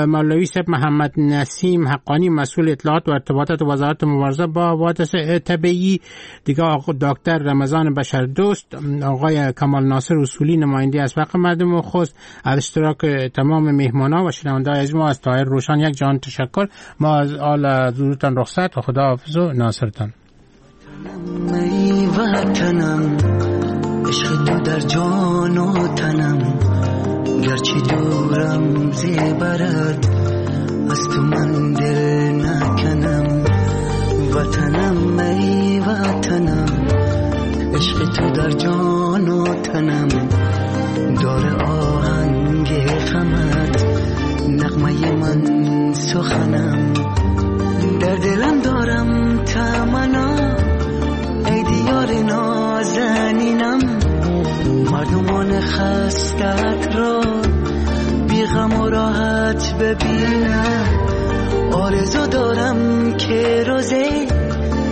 مولوی صاحب محمد نسیم حقانی، مسئول اطلاعات و ارتباطات وزارت مبارزه با حوادث طبیعی، دیگه آقا دکتر رمضان بشردوست، آقای کمال ناصر اصولی نماینده اسبق مردم خوست، از اشتراک تمام مهمانا و شنونده‌های از ما از طاهر روشان یک جان تشکر. ما از آل حضورتان رخصت و خدا حافظ و ناصرتان.
عشق تو در جان و تنم، گرچه دورم زیبرد از تو من دل نکنم. وطنم ای وطنم، عشق تو در جان و تنم، دار آهنگ غمت نغمه من سخنم. در دلم دارم تمنا ای دیار نازنینم، مردمان خستت را بی غم و راحت ببینم. آرزو دارم که روزی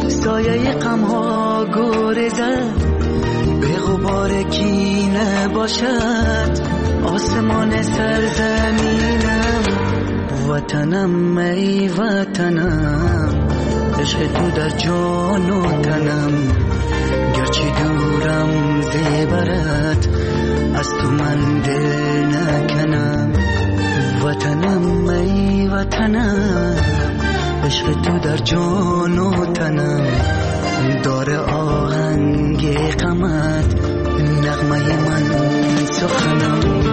سایه غم ها گریزد، به غبار کینه باشد آسمان سرزمینم. وطنم ای وطنم، عشق تو در جان و تنم، گرچه دورم زیبرت از تو من دل نکنم. وطنم ای وطنم، عشق تو در جان و تنم، داره آهنگ غمت نغمه من سخنم.